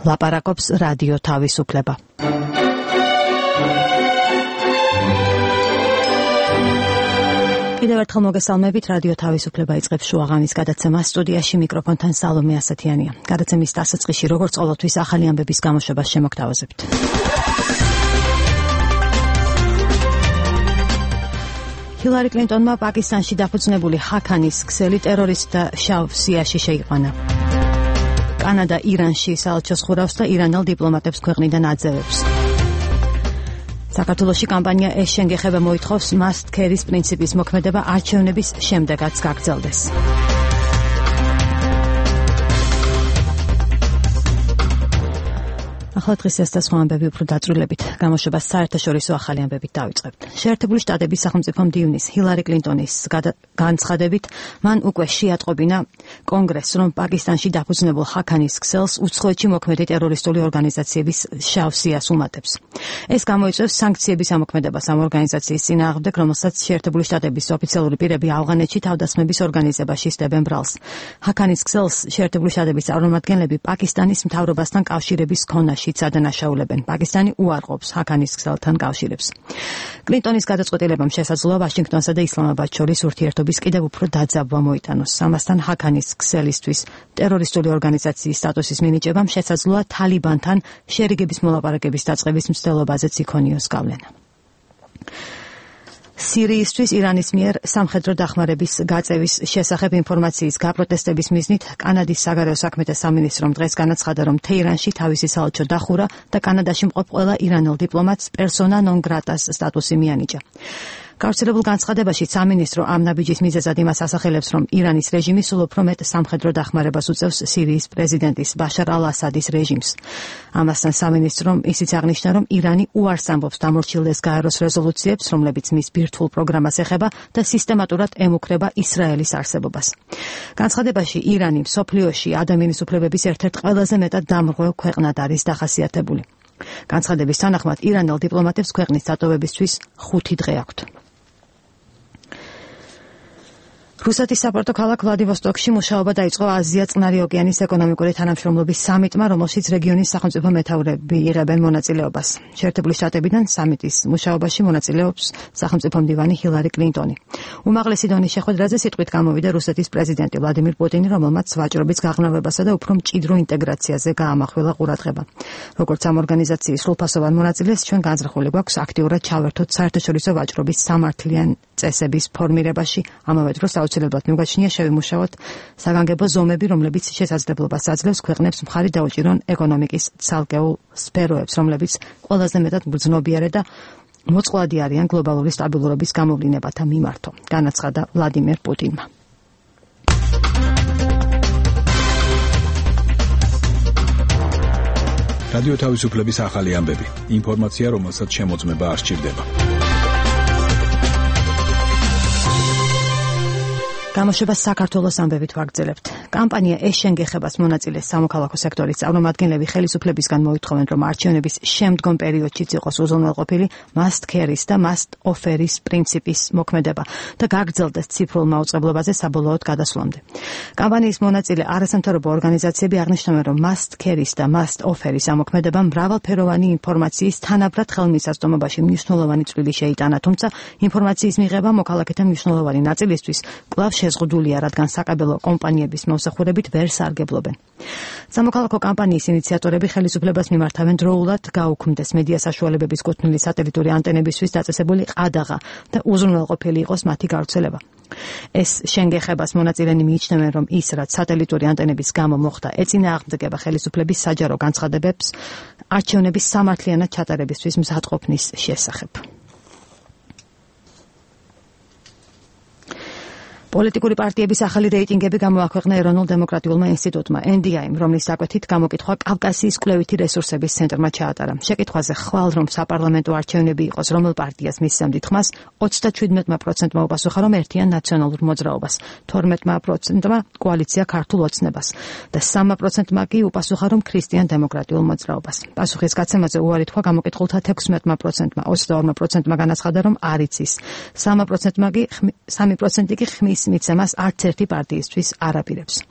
ლაპარაკობს რადიო თავისუფლება. კიდევ ერთხელ მოგესალმებით, რადიო თავისუფლება იწყებს შუაღამის გადაცემას. სტუდიაში მიკროფონთან სალომე ასათიანია. გადაცემის დასაწყისში, როგორც ყოველთვის, ახალი ამბების გამოშვებას შემოგთავაზებთ. ჰილარი კლინტონმა პაკისტანში დაფუძნებული ჰაქანის ქსელი ტერორისტთა შავ სიაში შეიყვანა. კანადა ირანში საელჩოს ხურავს და ირანელ დიპლომატებს ქვეყნიდან აძევებს. საქართველოში კამპანია ეს შენგეხება მოითხოვს must carry-ის პრინციპის მოქმედება არჩევნების შემდეგაც გაგრძელდეს. ახლა დღეს ეს და სხვა ამბები უფრო დაწვრილებით გამოშვებას საერთაშორისო ახალი ამბებით დავიწყებთ. შეერთებული შტატების სახელმწიფო მდივნის ჰილარი კლინტონის განცხადებით მან უკვე შეატყობინა კონგრესს, რომ პაკისტანში დაფუძნებულ ჰაქანის ქსელს უცხოეთში მოქმედი ტერორისტული ორგანიზაციების შავ სიას უმატებს. ეს გამოიწვევს სანქციების ამოქმედებას ამ ორგანიზაციის წინააღმდეგ, რომელსაც შეერთებული შტატების ოფიციალური პირები ავღანეთში თავდასხმების ორგანიზებაში სდებენ ბრალს. ჰაქანის ქსელს შეერთებული შტატების წარმომადგენლები პაკისტანის მთავრობასთან კავშირების ქონაში ადანაშაულებენ. პაკისტანი უარყოფს ჰაქანის ქსელთან კავშირებს. კლინტონის გადაწყვეტილებამ შესაძლოა ვაშინგტონსა და ისლამაბადს შორის ურთიერთობის კიდევ უფრო დაძაბვა მოიტანოს. ამასთან ჰაქანის ქსელისთვის ტერორისტული ორგანიზაციის სტატუსის მინიჭებამ შესაძლოა თალიბანთან შერიგების მოლაპარაკების დაწყების მცდელობაზეც იქონიოს გავლენა. სირიისთვის ირანის მიერ სამხედრო დახმარების გაწევის შესახებ ინფორმაციის გაპროტესტების მიზნით კანადის საგარეო საქმეთა სამინისტრომ დღეს განაცხადა, რომ თეირანში თავისი საელჩო დახურა და კანადაში მყოფ ყველა ირანელ დიპლომატს პერსონა ნონ გრატას სტატუსი მიანიჭა. გავრცელებულ განცხადებაში სამინისტრო ამ ნაბიჯის მიზეზად იმას ასახელებს, რომ ირანის რეჟიმი სულ უფრო მეტ სამხედრო დახმარებას უწევს სირიის პრეზიდენტის ბაშარ ალ-ასადის რეჟიმს. ამასთან სამინისტრომ ისიც აღნიშნა, რომ ირანი უარს ამბობს დამორჩილდეს გაეროს რეზოლუციებს, რომლებიც მის ბირთვულ პროგრამას ეხება და სისტემატურად ემუქრება ისრაელის არსებობას. განცხადებაში ირანი მსოფლიოში ადამიანის უფლებების ერთ-ერთ ყველაზე მეტად დამრღვევ ქვეყნად არის დახასიათებული. განცხადების თანახმად ირანელ დიპლომატებს ქვეყნის დატოვებისთვის 5 დღე აქვთ. რუსეთის საპორტო ქალაქ ვლადივოსტოკში მუშაობა დაიწყო აზია-წყნარი ოკეანის ეკონომიკური თანამშრომლობის სამიტმა, რომელშიც რეგიონის სახელმწიფო მეთაურები იღებენ მონაწილეობას. შეერთებული შტატებიდან სამიტის მუშაობაში მონაწილეობს სახელმწიფო მდივანი ჰილარი კლინტონი. უმაღლესი დონის შეხვედრაზე სიტყვით გამოვიდა რუსეთის პრეზიდენტი ვლადიმირ პუტინი, რომელმაც ვაჭრობის გაღრმავებასა და უფრო მჭიდრო ინტეგრაციაზე გაამახვილა ყურადღება. როგორც ამ ორგანიზაციის სრულფასოვან მონაწილეს, ჩვენ განზრახული გვაქვს აქტიურად ჩავერთოთ საერთაშორისო ვაჭრობის სამართლიან წესების ფორმირებაში, ამავე დროს აუცილებლად მიგაჩნია შევიმუშაოთ საგანგებო ზომები, რომლებიც შესაძლებლობას აძლევს ქვეყნებს მხარი დაუჭირონ ეკონომიკის ცალკეულ სფეროებს, რომლებიც ყველაზე მეტად მგრძნობიარე და მოწყვლადი არიან გლობალური სტაბილურობის გამოვლინებათა მიმართო, განაცხადა ვლადიმირ პუტინმა. რადიო თავისუფლების ახალი ამბები. ინფორმაცია, რომელსაც შემოწმება არ სჭირდება. გამოშვებას საქართველოს ამბებით ვაგრძელებთ. კამპანია ეს შენგეხებას მონაწილეს სამოქალაქო სექტორის წარმომადგენლები ხელისუფლებისგან მოითხოვენ, რომ არჩევნების შემდგომ პერიოდშიც იყოს უზრუნველყოფილი must carry-ის და must offer-ის პრინციპის მოქმედება და გაგრძელდეს ციფრულ მაუწყებლობაზე საბოლოოდ გადასვლამდე. კამპანიის მონაწილე არასამთავრობო ორგანიზაციები აღნიშნავენ, რომ must carry-ის და must offer-ის ამოქმედება მრავალფეროვანი ინფორმაციის თანაბრად ხელმისაწვდომობაში მნიშვნელოვანი წვლილი შეიტანა, თუმცა ინფორმაციის მიღება მოქალაქეთა მნიშვნელოვანი ნაწილისთვის კვლავ შეზღუდულია, რადგან საკაბელო კომპანიების მომსახურებით ვერ სარგებლობენ. სამოქალაქო კამპანიის ინიციატორები ხელისუფლებას მიმართავენ დროულად გაუქმდეს მედია საშუალებების კუთვნილი სატელიტური ანტენებისთვის დაწესებული ყადაღა და უზრუნველყოფილი იყოს მათი გავრცელება. ეს შენგეხებას მონაწილენი მიიჩნევენ, რომ ის, რაც სატელიტური ანტენების გამო მოხდა, ეწინააღმდეგება ხელისუფლების საჯარო განცხადებებს არჩევნების სამართლიანად ჩატარებისთვის მზადყოფნის შესახებ. პოლიტიკური პარტიების ახალი რეიტინგები გამოაქვეყნა ეროვნულ დემოკრატიულმა ინსტიტუტმა NDI-მ, რომლის დაკვეთით გამოკითხვა კავკასიის კვლევითი რესურსების ცენტრმა ჩაატარა. შეკითხვაზე ხვალ რომ საპარლამენტო არჩევნები იყოს, რომელ პარტიას მისცემდით ხმას, 37% უპასუხა, რომ ერთიან ნაციონალურ მოძრაობას, 12% კოალიცია ქართულ ოცნებას და 3% კი უპასუხა, რომ ქრისტიან დემოკრატიულ მოძრაობას. პასუხის გაცემაზე უარი თქვა გამოკითხულთა 16%, 22% განაცხადა, რომ არ იცის, 3% კი ხმის მიცემას არც ერთი პარტიისთვის არ აპირებს.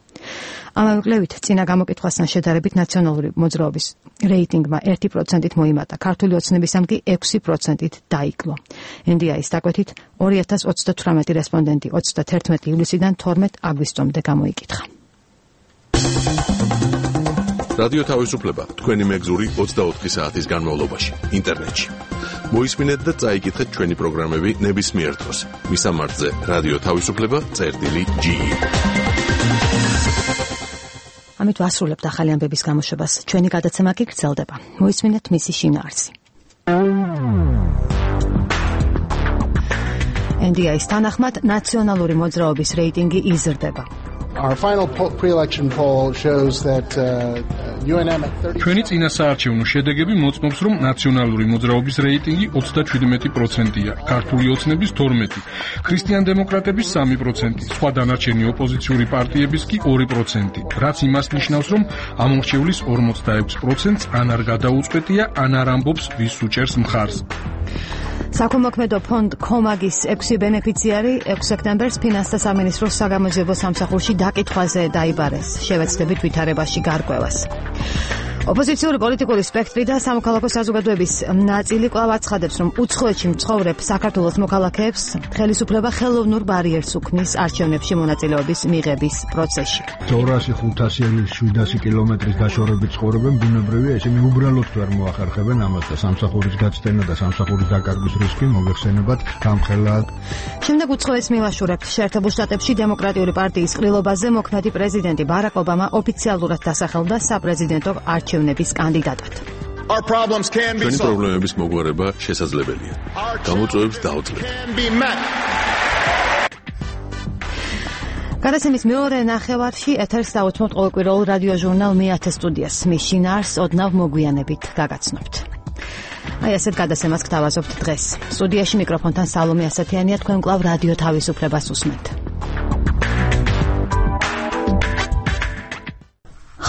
ამავე კვლევით წინა გამოკითხვასთან შედარებით ნაციონალური მოძრაობის რეიტინგმა 1%-ით მოიმატა, ქართული ოცნებისამ კი 6%-ით დაიკლო. NDI-ის დაკვეთით 2038 რესპონდენტი 31 ივლისიდან 12 აგვისტომდე გამოიკითხა. რადიო თავისუფლება თქვენი მეგზური 24 საათის განმავლობაში ინტერნეტში. მოისმინეთ და წაიკითხეთ ჩვენი პროგრამები ნებისმიერ დროს. მისამართზე რადიო თავისუფლება.ge. ამით ვასრულებთ ახალი ამბების გამოშვებას. ჩვენი გადაცემა კი გრძელდება. მოისმინეთ მისი შინაარსი. NDI-ის თანახმად ნაციონალური მოძრაობის რეიტინგი იზრდება. Our final pre-election poll shows that UNM at 30. ჩვენი წინასაარჩევნო შედეგები მოწმობს, რომ ნაციონალური მოძრაობის რეიტინგი 37%-ია, ქართული ოცნების 12%, ქრისტიან-დემოკრატების 3%, სხვა დანარჩენი ოპოზიციური პარტიების კი 2%, რაც იმას ნიშნავს, რომ ამორჩევლის 46%-ს ან არ გადაუწყვეტია, ან არ ამბობს ვის უჭერს მხარს. საქველმოქმედო ფონდ კომაგის 6 ბენეფიციარი 6 სექტემბერს ფინანსთა სამინისტროს საგამოძიებო სამსახურში დაკითხვაზე დაიბარეს, შევეცდებით ვითარებაში გარკვევას. ოპოზიციური პოლიტიკური სპექტრი და სამოქალაქო საზოგადოების ნაწილი კვლავ აცხადებს, რომ უცხოეთში მცხოვრებ საქართველოს მოქალაქეებს ხელისუფლება ხელოვნურ ბარიერს უქმნის არჩევნებში მონაწილეობის მიღების პროცესში. 200-500-700 კილომეტრის დაშორებით ცხოვრობენ ბუნებრივია, ისინი უბრალოდ ვერ მოახერხებენ ამას და სამსახურის გაცდენა და სამსახურის დაკარგვის რისკი მოგეხსენებათ გამხელად. შემდეგ უცხოეთს მილაშურებთ შეერთებულ შტატებში დემოკრატიული პარტიის ყრილობაზე მოქმედი პრეზიდენტი ბარაკ ობამა ოფიციალურად დასახელდა საპრეზიდენტო არჩევნების კანდიდატად. ჩვენი პრობლემების მოგვარება შესაძლებელია. გამოწვევებს დაუძლებთ. გადაცემის მეორე ნახევარში ეთერს დაუთმობთ ყოველკვირეულ რადიო ჟურნალ მეათე სტუდიას. მის შინაარსს ოდნავ მოგვიანებით გაგაცნობთ. აი ასეთ გადაცემას გთავაზობთ დღეს. სტუდიაში მიკროფონთან სალომე ასათიანია, თქვენ კვლავ რადიო თავისუფლებას უსმენთ.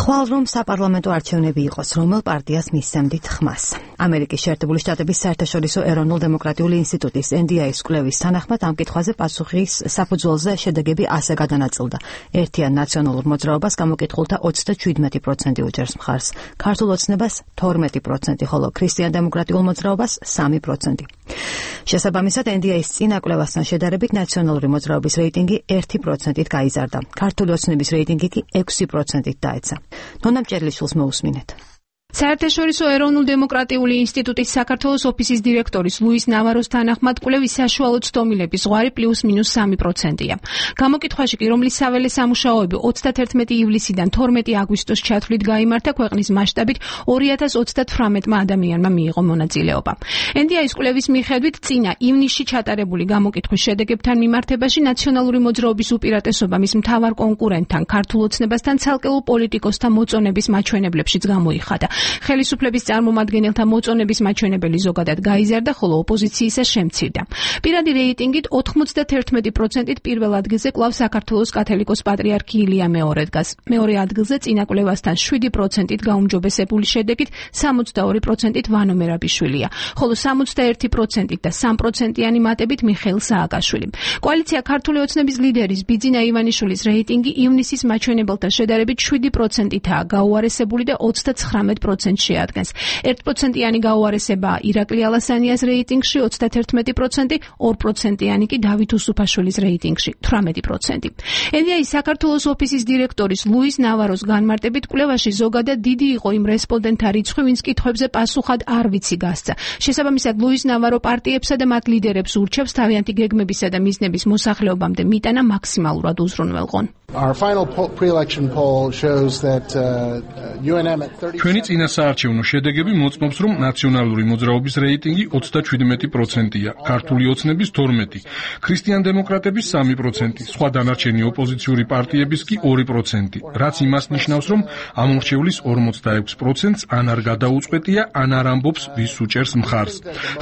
ხვალ რომ საპარლამენტო არჩევნები იყოს, რომელ პარტიას მისცემდით ხმას. ამერიკის შეერთებული შტატების საერთაშორისო ეროვნულ-დემოკრატიული ინსტიტუტის NDI-ის კვლევის თანახმად ამ კითხვაზე პასუხის საფუძველზე შედეგები ასე გადანაწილდა. ერთიან ნაციონალურ მოძრაობას გამოკითხულთა 37% უჭერს მხარს, ქართულ ოცნებას 12%, ხოლო ქრისტიან-დემოკრატიულ მოძრაობას 3%. შესაბამისად, NDI-ის წინა კვლევასთან შედარებით ნაციონალური მოძრაობის რეიტინგი 1%-ით გაიზარდა, ქართული ოცნების რეიტინგი კი 6%-ით დაეცა. ნონა მჭერლიშვილს მოусმინეთ. საერთაშორისო ეროვნულ-დემოკრატიული ინსტიტუტის საქართველოს ოფისის დირექტორის ლუის ნავაროს თანახმად კვლევის საშუალო ცდომილების ზღვარი +-3%-ია. გამოკითხვაში კი, რომლის საველე სამუშაოები 31 ივლისიდან 12 აგვისტოს ჩათვლით გაიმართა, ქვეყნის მასშტაბით 2038 ადამიანმა მიიღო მონაწილეობა. NDI-ის კვლევის მიხედვით, წინა ივნისში ჩატარებული გამოკითხვის შედეგებთან მიმართებაში ნაციონალური მოძრაობის უპირატესობა მის მთავარ კონკურენტთან, ქართულ ოცნებასთან ცალკეულ პოლიტიკოსთა მოწონების მაჩვენებლებშიც გამოიხადა. ხელისუფლების წარმომადგენელთა მოწონების მაჩვენებელი ზოგადად გაიზარდა, ხოლო ოპოზიციისა შემცირდა. პირადი რეიტინგით 91%-ით პირველ ადგილზე კვლავ საქართველოს კათოლიკოს პატრიარქი ილია მეორე დგას. მეორე ადგილზე წინა კვლევასთან 7%-ით გაუმჯობესებული შედეგით 62%-ით ვანო მერაბიშვილია, ხოლო 61%-ით და 3%-იანი მატებით მიხეილ სააკაშვილი. კოალიცია ქართული ოცნების ლიდერის ბიძინა ივანიშვილის რეიტინგი ივნისის მაჩვენებელთან შედარებით 7%-ითაა გაუარესებული და 39% შეადგენს. 1%-იანი გაუარესებაა ირაკლი ალასანიას რეიტინგში 31%, 2%-იანი კი დავით უსუფაშვილის რეიტინგში 18%. NDI-ის საქართველოს ოფისის დირექტორის ლუის ნავაროს განმარტებით, კვლევაში ზოგადად დიდი იყო იმ რესპონდენტთა რიცხვი, ვინც კითხვებზე პასუხად არ ვიცი გასცა. შესაბამისად, ლუის ნავარო პარტიებსა და მათ ლიდერებს ურჩევს თავიანთი გეგმებისა და მიზნების მოსახლეობამდე მიტანა მაქსიმალურად უზრუნველყონ. Our final pre-election poll shows that UNM at 30. ჩვენი წინასაარჩევნო შედეგები მოწმობს, რომ ნაციონალური მოძრაობის რეიტინგი 37%-ია, ქართული ოცნების 12%, ქრისტიან-დემოკრატების 3%, სხვა დანარჩენი ოპოზიციური პარტიების კი 2%, რაც იმას ნიშნავს, რომ ამორჩევლის 46%-ს ან არ გადაუწყვეტია, ან არ ამბობს ვის უჭერს მხარს.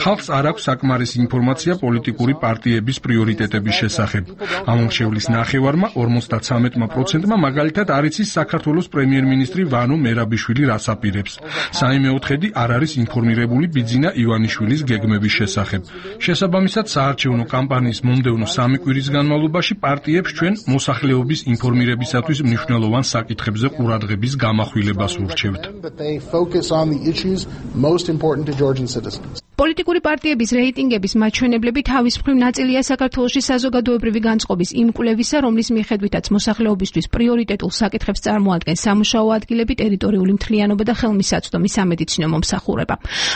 ხალხს არ აქვს საკმარისი ინფორმაცია პოლიტიკური პარტიების პრიორიტეტების შესახებ. ამორჩევლის ნახევარმა 53%-მა მაგალითად არ იცის საქართველოს პრემიერ-მინისტრი ვანო მერაბიშვილი რას აპირებს. აკეთებს. საიმეოთხედი არ არის ინფორმირებული ბიძინა ივანიშვილის გეგმების შესახებ. შესაბამისად, საარჩევნო კამპანიის მომდევნო 3 კვირის განმავლობაში პარტიებს ჩვენ მოსახლეობის ინფორმირებისათვის მნიშვნელოვან საკითხებზე ყურადღების გამახვილებას ურჩევთ. პოლიტიკური პარტიების რეიტინგების მაჩვენებლები თავის მხრივ ნაწილია საქართველოში საზოგადოებრივი განწყობის იმ კვლევისა, რომლის მიხედვითაც მოსახლეობისთვის პრიორიტეტულ საკითხებს წარმოადგენს სამუშაო ადგილები, ტერიტორიული მთლიანობა და ხელმისაწვდომი სამედიცინო მომსახურება.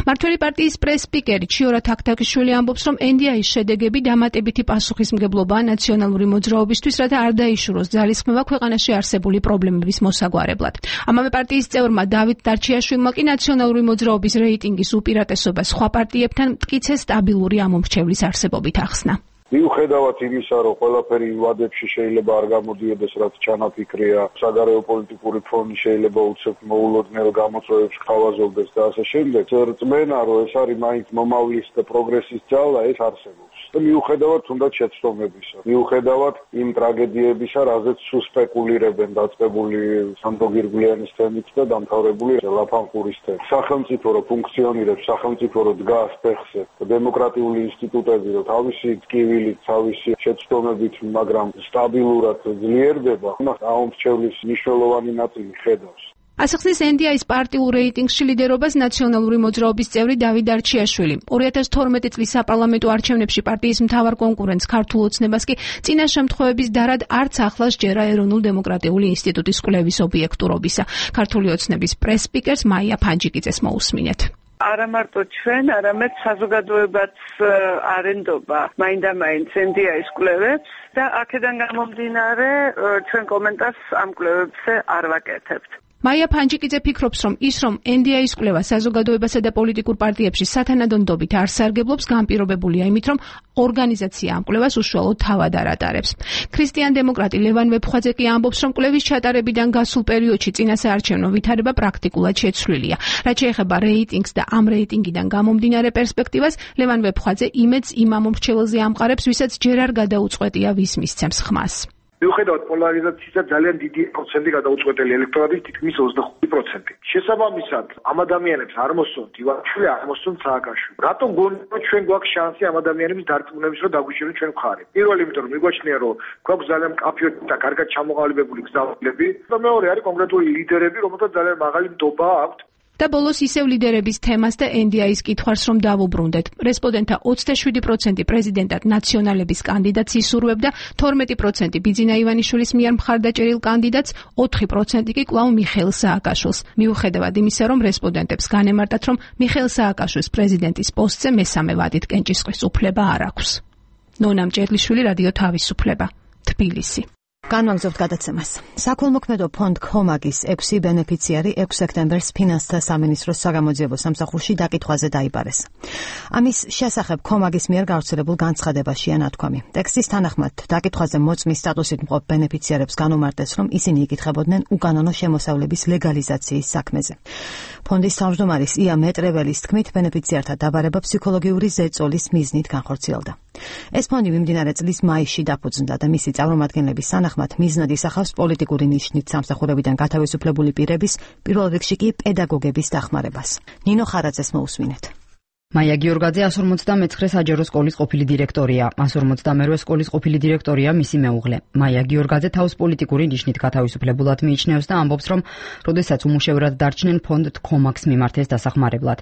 მართველი პარტიის პრეს-სპიკერი ჩიორა თაქთაქიშვილი ამბობს, რომ NDI-ის შედეგები დამატებითი პასუხისმგებლობაა ნაციონალური მოძრაობისთვის, რათა არ დაიშუროს ძალისხმევა ქვეყანაში არსებული პრობლემების მოსაგვარებლად. ამავე პარტიის წევრმა დავით დარჩიაშვილმა კი ნაციონალური მოძრაობის რეიტინგის უპირატესობა სხვა პარტიებთან მტკიცე სტაბილური ამომრჩევლის არსებობით ახსნა. მიუხედავად იმისა, რომ ყველაფერი ვადებში შეიძლება არ გამოდიოდეს, რაც ჩანაფიქრია, საგარეო პოლიტიკური ფონი შეიძლება უცებ მოულოდნელ გამოწვევებს ხავაზობდეს და ასე შემდეგ. რწმენა, რომ ეს არის მაინც მომავლის და პროგრესის ძალა, ეს არსებობს. მიუხედავად თუნდაც შეცდომებისა, მიუხედავად იმ ტრაგედიებისა, რაზეც სულ სპეკულირებენ დაწყებული სანდო გირგვლიანის თემით და დამთავრებული ლაფანყურის თემით. სახელმწიფო რო ფუნქციონირებს, სახელმწიფო რო დგას ფეხზე, დემოკრატიული ინსტიტუტები რო თავისი ტკივილით, თავისი შეცდომებით, მაგრამ სტაბილურად ძლიერდება, მას ამომრჩევლის მნიშვნელოვანი ნაწილი ხედავს. ასახსნის NDI-ის პარტიულ რეიტინგში ლიდერობას ნაციონალური მოძრაობის წევრი დავით დარჩიაშვილი. 2012 წლის საპარლამენტო არჩევნებში პარტიის მთავარ კონკურენტს ქართულ ოცნებას კი წინა შემთხვევების დარად არც ახლა სჯერა ეროვნულ დემოკრატიული ინსტიტუტის კვლევის ობიექტურობისა. ქართული ოცნების პრეს-სპიკერს მაია ფანჯიკიძეს მოусმინეთ. არა მარტო ჩვენ, არამედ საზოგადოებაც არენდობა მაინდა-მაინც NDI-ის კვლევებს და აქედან გამომდინარე ჩვენ კომენტარს ამ კვლევებზე არ ვაკეთებთ. მაია ფანჯიკიძე ფიქრობს, რომ ის, რომ NDI-ის კვლევა საზოგადოებასა და პოლიტიკურ პარტიებში სათანადო ნდობით არ სარგებლობს, განპირობებულია იმით, რომ ორგანიზაცია ამ კვლევას უშუალოდ თავად არ ატარებს. ქრისტიან-დემოკრატი ლევან ვეფხვაძე კი ამბობს, რომ კვლევის ჩატარებიდან გასულ პერიოდში წინასაარჩევნო ვითარება პრაქტიკულად შეცვლილია. რაც შეეხება რეიტინგს და ამ რეიტინგიდან გამომდინარე პერსპექტივას, ლევან ვეფხვაძე იმედს იმ ამომრჩეველზე ამყარებს, ვისაც ჯერ არ გადაუწყვეტია ვის მისცემს ხმას. მიუხედავად პოლარიზაციისა ძალიან დიდი პროცენტი გადაუწყვეტელი ელექტორატის თითქმის 25%. შესაბამისად, ამ ადამიანებს არ მოსწონთ ივანიშვილი, არ მოსწონთ სააკაშვილი. რატომ გონია, რომ ჩვენ გვაქვს შანსი ამ ადამიანების დარწმუნების, რომ დაგვიჩეროთ ჩვენ მხარე? პირველი, იმიტომ რომ მიგვაჩნია, რომ გვაქვს ძალიან მკაფიო და კარგად ჩამოყალიბებული გზავნილები, და მეორე არის კონკრეტული ლიდერები, რომელთაც ძალიან მაღალი ნდობა აქვთ. და ბოლოს ისევ ლიდერების თემას და NDI-ის კითხვას რომ დავუბრუნდეთ. რესპონდენტთა 27% პრეზიდენტად ნაციონალების კანდიდატს ისურვებდა, 12% ბიძინა ივანიშვილის მიერ მხარდაჭერილ კანდიდატს, 4% კი კვლავ მიხეილ სააკაშვილს. მიუხედავად იმისა, რომ რესპონდენტებს განემარტათ, რომ მიხეილ სააკაშვილს პრეზიდენტის პოსტზე მესამე ვადით კენჭისყრის უფლება არ აქვს. ნონა მჭედლიშვილი, რადიო თავისუფლება, თბილისი. განვაგრძობთ გადაცემას. საქველმოქმედო ფონდ ქომაგის 6 ბენეფიციარი 6 სექტემბერს ფინანსთა სამინისტროს საგამოძიებო სამსახურში დაკითხვაზე დაიბარეს. ამის შესახებ ქომაგის მიერ გავრცელებულ განცხადებაშია ნათქვამი. ტექსტის თანახმად დაკითხვაზე მოწმის სტატუსით მყოფ ბენეფიციარებს განუმარტეს, რომ ისინი იკითხებოდნენ უკანონო შემოსავლების ლეგალიზაციის საქმეზე. ფონდის თავმჯდომარის ია მეტრეველის თქმით, ბენეფიციართა დაბარება ფსიქოლოგიური ზეწოლის მიზნით განხორციელდა. ეს ფონდი მიმდინარე წლის მაისში დაფუძნდა და მისი წარმომადგენლების თანახმად მიზნად ისახავს პოლიტიკური ნიშნით სამსახურებიდან გათავისუფლებული პირების, პირველ რიგში კი პედაგოგების დახმარებას. ნინო ხარაძეს მოусმინეთ. მაია გიორგაძე 159 საჯარო სკოლის ყოფილი დირექტორია. 158 სკოლის ყოფილი დირექტორია მისი მეუღლე. მაია გიორგაძე თავს პოლიტიკური ნიშნით გათავისუფლებულად მიიჩნევს და ამბობს, რომ როდესაც უმუშევრად დარჩნენ ფონდ ქომაგს მიმართეს დასახმარებლად.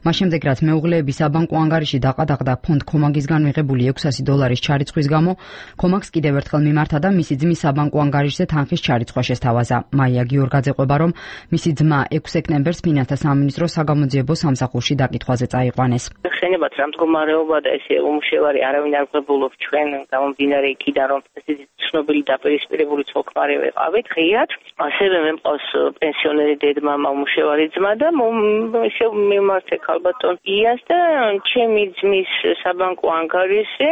მას შემდეგ, რაც მეუღლეები საბანკო ანგარიში დაყადაღდა ფონდ ქომაგისგან მიღებული $600 ჩარიცხვის გამო, ქომაგს კიდევ ერთხელ მიმართა და მისი ძმის საბანკო ანგარიშზე თანხის ჩარიცხვა შესთავაზა. მაია გიორგაძე ყვება, რომ მისი ძმა 6 სექტემბერს ფინანსთა სამინისტროს საგამოძიებო სამსახურში დაკითხვაზე წაიყვანეს. ხენებათ რა მდგომარეობა და ესე უმუშევარი არავინ არ გვებულობს ჩვენ გამომდინარე იქიდან რომ ესეთი ცნობილი დაპირისპირებული ცოლ-ქმარი ვეყავით ღიად ასევე მე მყავს პენსიონერი დედმამა უმუშევარი ძმა და ისე მიმართე ქალბატონ იას და ჩემი ძმის საბანკო ანგარიშზე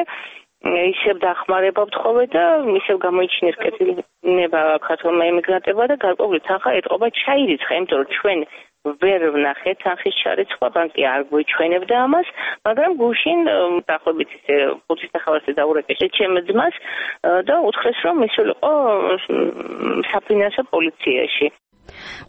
ისევ დახმარება ვთხოვე და ისევ გამოიჩინეს კეთილება ქართულმა ემიგრანტებმა და გარკვეული თანხა ეტყობა ჩაირიცხა იმიტომ რომ ჩვენ ვერ ვნახეთ თანხის ჩარიცხვა, ბანკი არ გვეჩვენებდა ამას, მაგრამ გუშინ დაახლოებით ისე 5 სახალხზე დაურეკე ჩემ ძმას და უთხრეს, რომ მისულიყო საფინანსო პოლიციაში.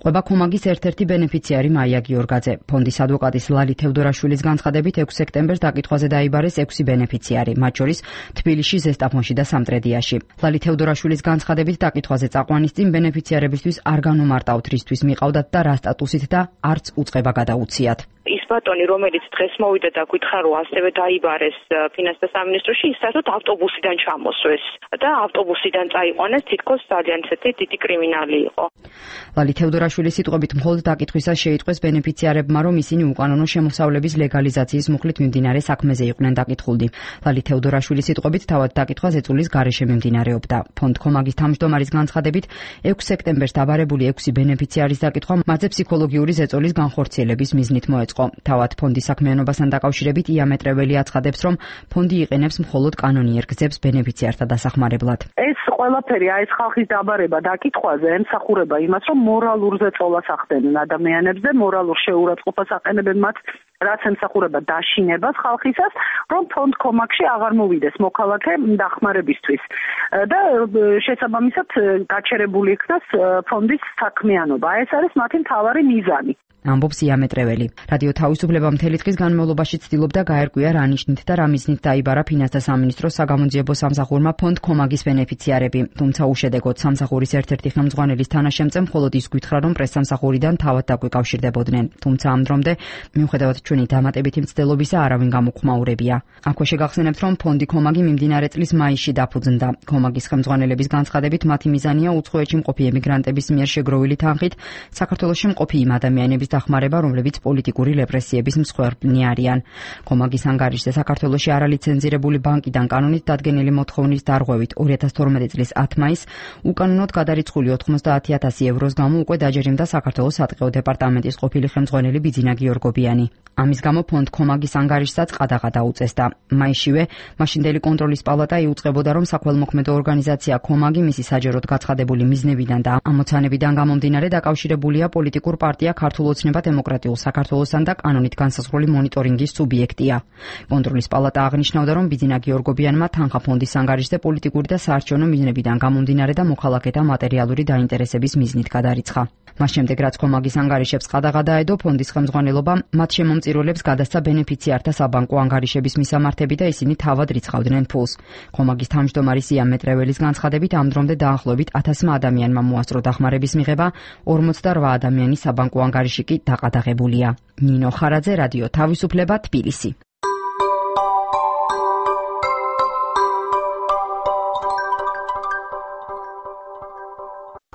ყვება კომაგის ერთ-ერთი ბენეფიციარი მაია გიორგაძე. ფონდის ადვოკატის ლალი თევდორაშვილის განცხადებით 6 სექტემბერს დაკითხვაზე დაიბარეს 6 ბენეფიციარი, მათ შორის თბილისში, ზესტაფონში და სამტრედიაში. ლალი თევდორაშვილის განცხადებით დაკითხვაზე წაყვანის წინ ბენეფიციარებისთვის არ განუმარტავთ რისთვის მიყავდათ და რა სტატუსით და არც უწყება გადაუციათ. ის ბატონი, რომელიც დღეს მოვიდა და გითხრა, რომ ასევე დაიბარეს ფინანსთა სამინისტროში, ის საერთოდ ავტობუსიდან ჩამოსვეს და ავტობუსიდან წაიყვანეს, თითქოს ძალიან ისეთი დიდი კრიმინალი იყო. ლალი თევდორაშვილის სიტყვებით მხოლოდ დაკითხვისას შეიტყვეს ბენეფიციარებმა, რომ ისინი უკანონო შემოსავლების ლეგალიზაციის მუხლით მიმდინარე საქმეზე იყვნენ დაკითხულნი. ლალი თევდორაშვილის სიტყვებით თავად დაკითხვა ზეწოლის გარეშე მიმდინარეობდა. ფონდ კომაგის თავმჯდომარის განცხადებით 6 სექტემბერს დაბარებული 6 ბენეფიციარის დაკითხვა მათზე ფსიქოლოგიური ზეწოლის განხორციელების მიზნით მოეწყო. თავად ფონდის საქმიანობასთან დაკავშირებით იამეტრეველი აცხადებს, რომ ფონდი იყენებს მხოლოდ კანონიერ გზებს ბენეფიციართა დასახმარებლად. ეს ყველაფერი, ეს ხალხის დაბარება დაკითხვაზე ემსახურება იმას, რომ მორალურ ზეწოლას ახდენენ ადამიანებზე, მორალურ შეურაცხყოფას აყენებენ მათ, რაც ემსახურება დაშინებას ხალხისას, რომ ფონდ კომაგში აღარ მოვიდეს მოქალაქე დახმარებისთვის და შესაბამისად გაჩერებული იქნას ფონდის საქმიანობა. ეს არის მათი მთავარი მიზანი. ამბობს იამეტრეველი. რადიო თავისუფლება მთელი დღის განმავლობაში ცდილობდა გაერკვია რა ნიშნით და რა მიზნით დაიბარა ფინანსთა სამინისტროს საგამოძიებო სამსახურმა ფონდ კომაგის ბენეფიციარები. თუმცა უშედეგოდ სამსახურის ერთ-ერთი ხელმძღვანელის თანაშემწემ მხოლოდ ის გითხრა, რომ პრესსამსახურიდან თავად დაგვიკავშირდებოდნენ. თუმცა ამ დრომდე, მიუხედავად ჩვენი დამატებითი მცდელობისა, არავინ გამოხმაურებია. აქვე შეგახსენებთ, რომ ფონდი კომაგი მიმდინარე წლის მაისში დაფუძნდა. კომაგის ხელმძღვანელების განცხადებით, მათი მიზანია უცხოეთში მყოფი ემიგრანტების მიერ შეგროვილი თანხით საქართველოში მყოფი იმ ადამიანების დახმარება, რომლებიც პოლიტიკური რეპრესიების მსხვერპლნი არიან. კომაგის ანგარიშზე საქართველოში არალიცენზირებული ბანკიდან კანონით დადგენილი მოთხოვნის დარღვევით 2012 წლის 10 მაისს უკანონოდ გადარიცხული 90,000 ევროს გამო უკვე დაჯერიმდა საქართველოს სატყეო დეპარტამენტის ყოფილი ხელმძღვანელი ბიძინა გიორგობიანი. ამის გამო ფონდ კომაგის ანგარიშსაც ყადაღა დაუწესდა. მაისშივე მაშინდელი კონტროლის პალატა იუწყებოდა, რომ საქველმოქმედო ორგანიზაცია კომაგი მისი საჯაროდ გაცხადებული მიზნებიდან და ამოცანებიდან გამომდინარე დაკავშირებულია პოლიტიკურ პარტია ქართულ ოცნება დემოკრატიულ საქართველოსთან და კანონით განსაზღვრული მონიტორინგის სუბიექტია. კონტროლის პალატა აღნიშნავდა, რომ ბიძინა გიორგობიანმა თანხა ფონდის ანგარიშზე პოლიტიკური და საარჩევნო მიზნებიდან გამომდინარე და მოქალაქეთა მატერიალური დაინტერესების მიზნით გადარიცხა. მას შემდეგ, რაც კომაგის ანგარიშებს ყადაღა დაედო, ფონდის ხელმძღვანელობა მათ შემომწირულებს გადასცა ბენეფიციართა საბანკო ანგარიშების მისამართები და ისინი თავად რიცხავდნენ ფულს. კომაგის თავმჯდომარის იამეტრეველის განცხადებით, ამ დრომდე დაახლოებით 1000 ადამიანმა მოასწრო დახმარების მიღება, 48 ადამიანის საბანკო ანგარიში კი დაყადაღებულია. ნინო ხარაძე, რადიო თავისუფლება, თბილისი.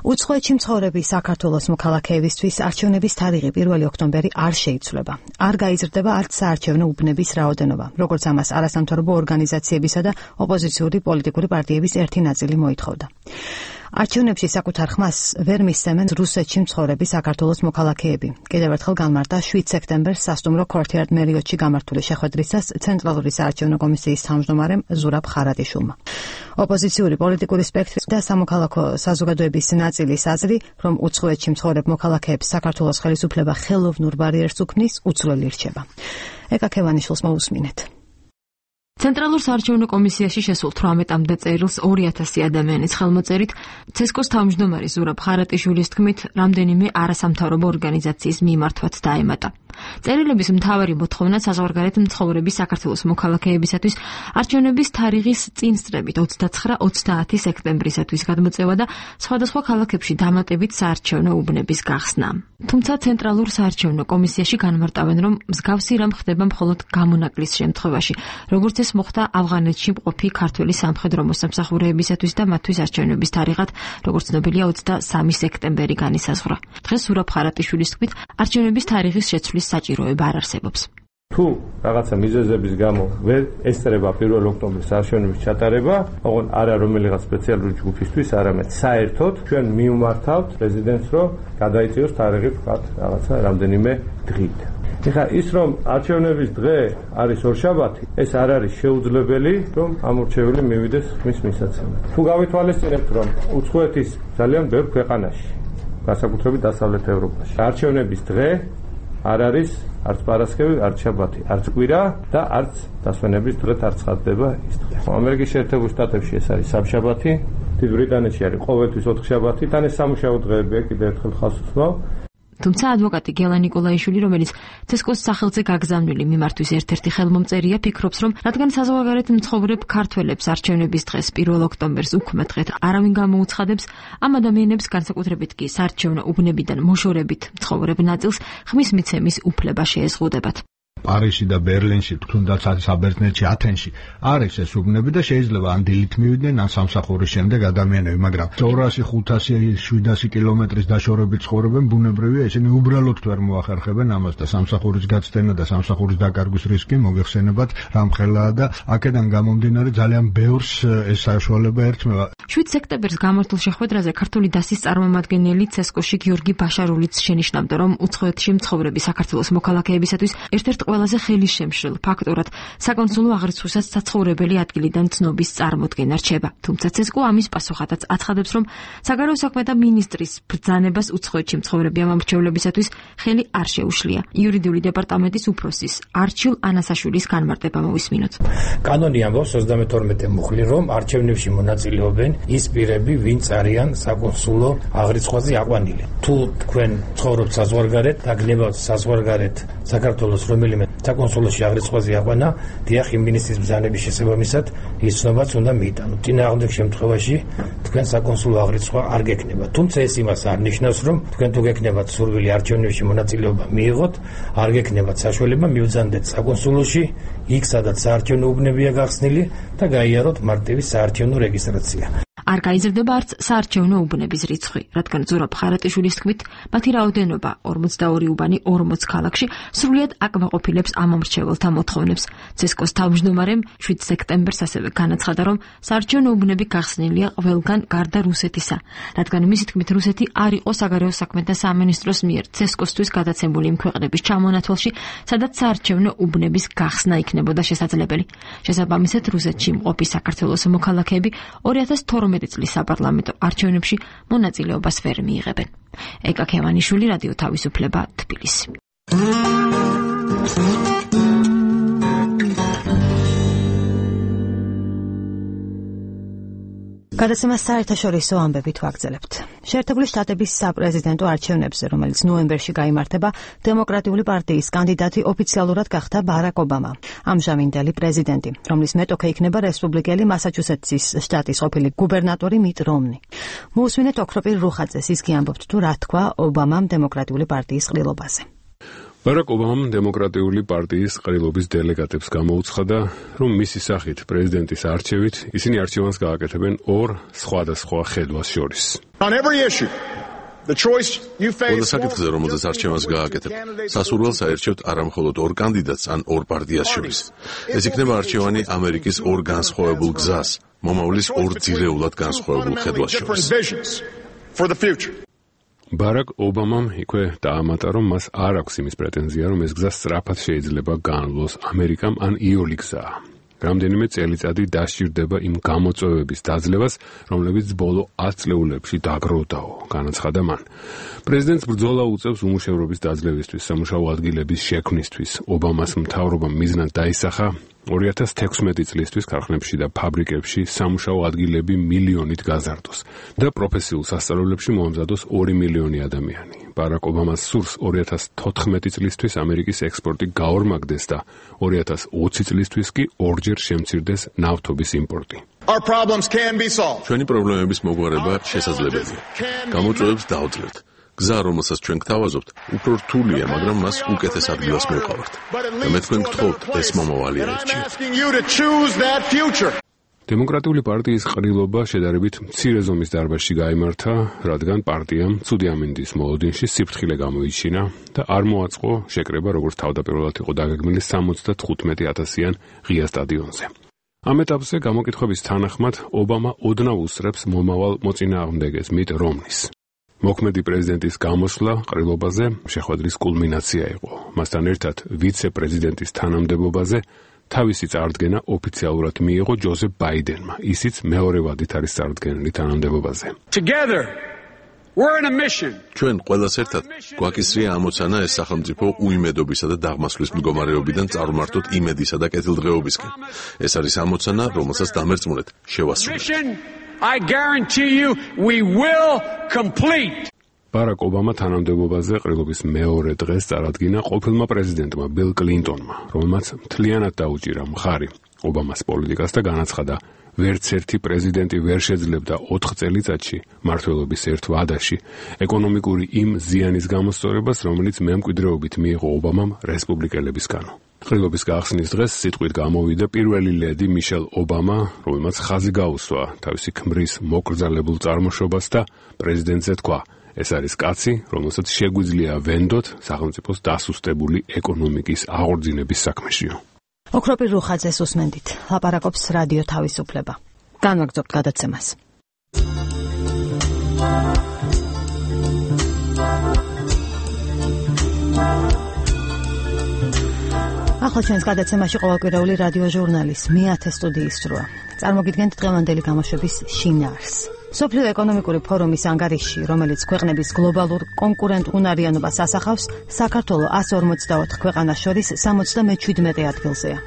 უცხოეთში მცხოვრები საქართველოს მოქალაქეებისთვის არჩევნების თარიღი 1 ოქტომბერი არ შეიცვლება. არ გაიზრდება არც საარჩევნო უბნების რაოდენობა, როგორც ამას არასამთავრობო ორგანიზაციებისა და ოპოზიციური პოლიტიკური პარტიების ერთი ნაწილი მოითხოვდა. არჩევნებში საკუთარ ხმას ვერ მისცემენ რუსეთში მცხოვრები საქართველოს მოქალაქეები. კიდევ ერთხელ განმარტა 7 სექტემბერს სასტუმრო ქორთიარ მერიოტში გამართული შეხვედრისას ცენტრალური საარჩევნო კომისიის თავმჯდომარემ ზურაბ ხარატიშვილმა. ოპოზიციური პოლიტიკური სპექტრი და სამოქალაქო საზოგადოების ნაწილის აზრი, რომ უცხოეთში მცხოვრებ მოქალაქეებს საქართველოს ხელისუფლება ხელოვნურ ბარიერს უქმნის, უცვლელი რჩება. ეკა ქევანიშვილს მოусმინეთ. ცენტრალურ საარჩევნო კომისიაში შესულ 18-მდე წერილს 2000 ადამიანის ხელმოწერით ცესკოს თავმჯდომარი ზურაბ ხარატიშვილის თქმით, რამდენიმე არასამთავრობო ორგანიზაციის მიმართვაც დაემატა. წერილების მთავარი მოთხოვნა საზღვარგარეთ მცხოვრები საქართველოს მოქალაქეებისათვის არჩევნების თარიღის წინსწრებით 29-30 სექტემბრისათვის გადმოწევა და სხვადასხვა ქალაქებში დამატებით საარჩევნო უბნების გახსნა. თუმცა ცენტრალურ საარჩევნო კომისიაში განმარტავენ, რომ მსგავსი რამ ხდება მხოლოდ გამონაკლის შემთხვევაში, როგორც ეს მოხდა ავღანეთში მყოფი ქართველი სამხედრო მოსამსახურეებისათვის და მათთვის არჩევნების თარიღად, როგორც ცნობილია, 23 სექტემბერი განისაზღვრა. დღეს ზურაბ ხარატიშვილის თქმით, არჩევნების თარიღის შეცვლის საჭიროება არ არსებობს. თუ რაღაცა მიზეზების გამო ვერ ესწრება 1 ოქტომბრის არჩევნების ჩატარება, ოღონ არა რომელიღაც სპეციალური ჯგუფისთვის, არამედ საერთოდ ჩვენ მივმართავთ პრეზიდენტს, რომ გადაიწიოს თარიღი ვთქვათ რაღაცა რამდენიმე დღით. ეხლა ის რომ არჩევნების დღე არის ორშაბათი, ეს არ არის შეუძლებელი, რომ ამორჩეველი მივიდეს ხმის მისაცემად. თუ გავითვალისწინებთ, რომ უცხოეთის ძალიან ბევრ ქვეყანაში, განსაკუთრებით დასავლეთ ევროპაში, არჩევნების დღე არ არის არც პარასკევი, არც შაბათი, არც კვირა და არც დასვენების დღეთ არ ცხადდება ის დღე. ამერიკის შეერთებულ შტატებში ეს არის სამშაბათი, დიდ ბრიტანეთში არის ყოველთვის 4 შაბათი, თან ეს სამუშაო დღეებია, კიდევ ერთხელ ხაზს ვსვავ. თუმცა ადვოკატი გელა ნიკოლაიშვილი, რომელიც ცესკოს სახელზე გაგზავნილი მიმართვის ერთ-ერთი ხელმომწერია, ფიქრობს, რომ რადგან საზღვარგარეთ მცხოვრებ ქართველებს არჩევნების დღეს 1 ოქტომბერს უქმე დღედ არავინ გამოუცხადებს, ამ ადამიანებს განსაკუთრებით კი საარჩევნო უბნებიდან მოშორებით მცხოვრებ ნაწილს ხმის მიცემის უფლება შეეზღუდებათ. პარიზში და ბერლინში, თუნდაც საბერძნეთში, ათენში არის ეს უბნები და შეიძლება ან დილით მივიდნენ, ან სამსახურის შემდეგ ადამიანები, მაგრამ 200-500-700 კილომეტრის დაშორებით ცხოვრობენ, ბუნებრივია, ისინი უბრალოდ ვერ მოახერხებენ ამას და სამსახურის გაცდენა და სამსახურის დაკარგვის რისკი მოგეხსენებათ რამხელაა და აქედან გამომდინარე ძალიან ბევრს ეს საშუალება ერთმევა. 7 სექტემბერს გამართულ შეხვედრაზე ქართული დასის წარმომადგენელი ცესკოში გიორგი ბაშარულიც შენიშნავდა, რომ უცხოეთში მცხოვრები საქართველოს მოქალაქეებისათვის ერთ-ერთ ყველაზე ხელისშემშლელ ფაქტორად საკონსულო აღრიცხვასაც საცხოვრებელი ადგილიდან ცნობის წარმოდგენა რჩება. თუმცა ცესკო ამის პასუხადაც აცხადებს, რომ საგარეო საქმეთა მინისტრის ბრძანებას უცხოეთში მცხოვრები ამომრჩევლებისათვის ხელი არ შეუშლია. იურიდიული დეპარტამენტის უფროსის არჩილ ანასაშვილის განმარტება მოვისმინოთ. კანონი ამბობს 32 მუხლი, რომ არჩევნებში მონაწილეობენ ის პირები, ვინც არიან საკონსულო აღრიცხვაზე აყვანილი. თუ თქვენ ცხოვრობთ საზღვარგარეთ და გნებავთ საზღვარგარეთ საქართველოს რომელიმე საკონსულოში აღრიცხვაზე აყვანა, დიახ, იმ მინისტრის ბრძანების შესაბამისად ის ცნობაც უნდა მიიტანოთ. წინააღმდეგ შემთხვევაში თქვენ საკონსულო აღრიცხვა არ გექნება. თუმცა ეს იმას არ ნიშნავს, რომ თქვენ თუ გექნებათ სურვილი არჩევნებში მონაწილეობა მიიღოთ, არ გექნებათ საშუალება მივძანდეთ საკონსულოში, იქ სადაც საარჩევნო უბნებია გახსნილი და გაიაროთ მარტივი საარჩევნო რეგისტრაცია. არ გაიზრდება არც საარჩევნო უბნების რიცხვი, რადგან ზურაბ ხარატიშვილის თქმით, მათი რაოდენობა 42 უბანი 40 ქალაქში სრულიად აკმაყოფილებს ამომრჩეველთა მოთხოვნებს. ცესკოს თავმჯდომარემ 7 სექტემბერს ასევე განაცხადა, რომ საარჩევნო უბნები გახსნილია ყველგან გარდა რუსეთისა, რადგან მისი თქმით რუსეთი არ იყო საგარეო საქმეთა სამინისტროს მიერ ცესკოსთვის გადაცემული იმ ქვეყნების ჩამონათვალში, სადაც საარჩევნო უბნების გახსნა იქნებოდა შესაძლებელი. შესაბამისად, რუსეთში მყოფი საქართველოს მოქალაქეები 2012 წლის საპარლამენტო არჩევნებში მონაწილეობას ვერ მიიღებენ. ეკა ქემანიშვილი, რადიო თავისუფლება, თბილისი. გადაცემას საერთაშორისო ამბებით ვაგრძელებთ. შეერთებული შტატების საპრეზიდენტო არჩევნებზე, რომელიც ნოემბერში გაიმართება, დემოკრატიული პარტიის კანდიდატი ოფიციალურად გახდა ბარაკ ობამა, ამჟამინდელი პრეზიდენტი, რომლის მეტოქე იქნება რესპუბლიკელი მასაჩუსეტსის შტატის ყოფილი გუბერნატორი მიტ რომნი. მოусმინეთ ოქროპირ რუხაძეს, ის კი ამბობს თუ რა თქვა ობამამ დემოკრატიული პარტიის ყრილობაზე. ბარაკ ობამამ დემოკრატიული პარტიის ყრილობის დელეგატებს გამოუცხადა, რომ მისი სახით პრეზიდენტის არჩევით ისინი არჩევანს გააკეთებენ ორ სხვადასხვა ხედვას შორის. ყველა საკითხზე, რომელზეც არჩევანს გააკეთებ, სასურველს აერჩევთ არამხოლოდ ორ კანდიდატს ან ორ პარტიას შორის. ეს იქნება არჩევანი ამერიკის ორ განსხვავებულ გზას, მომავლის ორ ძირეულად განსხვავებულ ხედვას შორის. ბარაკ ობამამ იქვე დაამატა, რომ მას არ აქვს იმის პრეტენზია, რომ ეს გზა სწრაფად შეიძლება გაანვლოს ამერიკამ ან იოლი გზაა. რამდენიმე წელიწადი დასჭირდება იმ გამოწვევების დაძლევას, რომლებიც ბოლო 10 წლეულებში დაგროვდაო, განაცხადა მან. პრეზიდენტს ბრძოლა უწევს უმუშევრობის დაძლევისთვის, სამუშაო ადგილების შექმნისთვის. ობამას მთავრობამ მიზნად დაისახა 2016 წლისთვის ქარხნებში და ფაბრიკებში სამუშაო ადგილები მილიონით გაზარდოს და პროფესიულ სასწავლებლებში მოამზადოს 2 მილიონი ადამიანი. ბარაკ ობამას სურს 2014 წლისთვის ამერიკის ექსპორტი გაორმაგდეს და 2020 წლისთვის კი ორჯერ შემცირდეს ნავთობის იმპორტი. ჩვენი პრობლემების მოგვარება შესაძლებელია. გამოწვევებს დავძლევთ. გზა, რომელსაც ჩვენ გთავაზობთ, უფრო რთულია, მაგრამ მას უკეთეს ადგილას მოვყავართ. და მე თქვენ გთხოვთ, ეს მომავალი აერჩიეთ. დემოკრატიული პარტიის ყრილობა შედარებით მცირე ზომის დარბაზში გაიმართა, რადგან პარტიამ ცუდი ამინდის მოლოდინში სიფრთხილე გამოიჩინა და არ მოაწყო შეკრება, როგორც თავდაპირველად იყო დაგეგმილი 75,000-იან ღია სტადიონზე. ამ ეტაპზე გამოკითხვების თანახმად ობამა ოდნავ უსწრებს მომავალ მოწინააღმდეგეს მიტ რომნის. მოქმედი პრეზიდენტის გამოსვლა ყრილობაზე შეხვედრის კულმინაცია იყო. მასთან ერთად ვიცე-პრეზიდენტის თანამდებობაზე თავისი წარდგენა ოფიციალურად მიიღო ჯოზეფ ბაიდენმა, ისიც მეორე ვადით არის წარდგენილი თანამდებობაზე. ჩვენ ყველას ერთად გვაკისრია ამოცანა ეს სახელმწიფო უიმედობისა და დაღმასვლის მდგომარეობიდან წარმართოთ იმედისა და კეთილდღეობისკენ. ეს არის ამოცანა, რომელსაც დამერწმუნეთ შევასრულეთ. I guarantee you we will complete. ბარაკ ობამა თანამდებობაზე ყრილობის მეორე დღეს წარადგინა ყოფილმა პრეზიდენტმა ბილ კლინტონმა, რომელმაც მთლიანად დაუჭირა მხარი ობამას პოლიტიკას და განაცხადა, ვერც ერთი პრეზიდენტი ვერ შეძლებდა 4 წელიწადში მმართველობის ერთ ვადაში ეკონომიკური იმ ზიანის გამოსწორებას, რომელიც მემკვიდრეობით მიიღო ობამამ რესპუბლიკელებისგანო. ყრილობის გახსნის დღეს სიტყვით გამოვიდა პირველი ლედი მიშელ ობამა, რომელმაც ხაზი გაუსვა თავისი ქმრის მოკრძალებულ წარმოშობას და პრეზიდენტზე თქვა, ეს არის კაცი, რომელსაც შეგვიძლია ვენდოთ სახელმწიფოს დასუსტებული ეკონომიკის აღორძინების საქმეშიო. ოქროპირ რუხაძეს უსმენდით. ლაპარაკობს რადიო თავისუფლება. განვაგრძობთ გადაცემას. ახლა ჩვენს გადაცემაში ყოველკვირეული რადიო ჟურნალის მე-10 სტუდიის დროა. წარმოგიდგენთ დღევანდელი გამოშვების შინაარსს. სოფლიო ეკონომიკური ფორუმის ანგარიში, რომელიც ქვეყნების გლობალურ კონკურენტუნარიანობას ასახავს, საქართველოს 154 ქვეყანას შორის 77 ადგილზეა.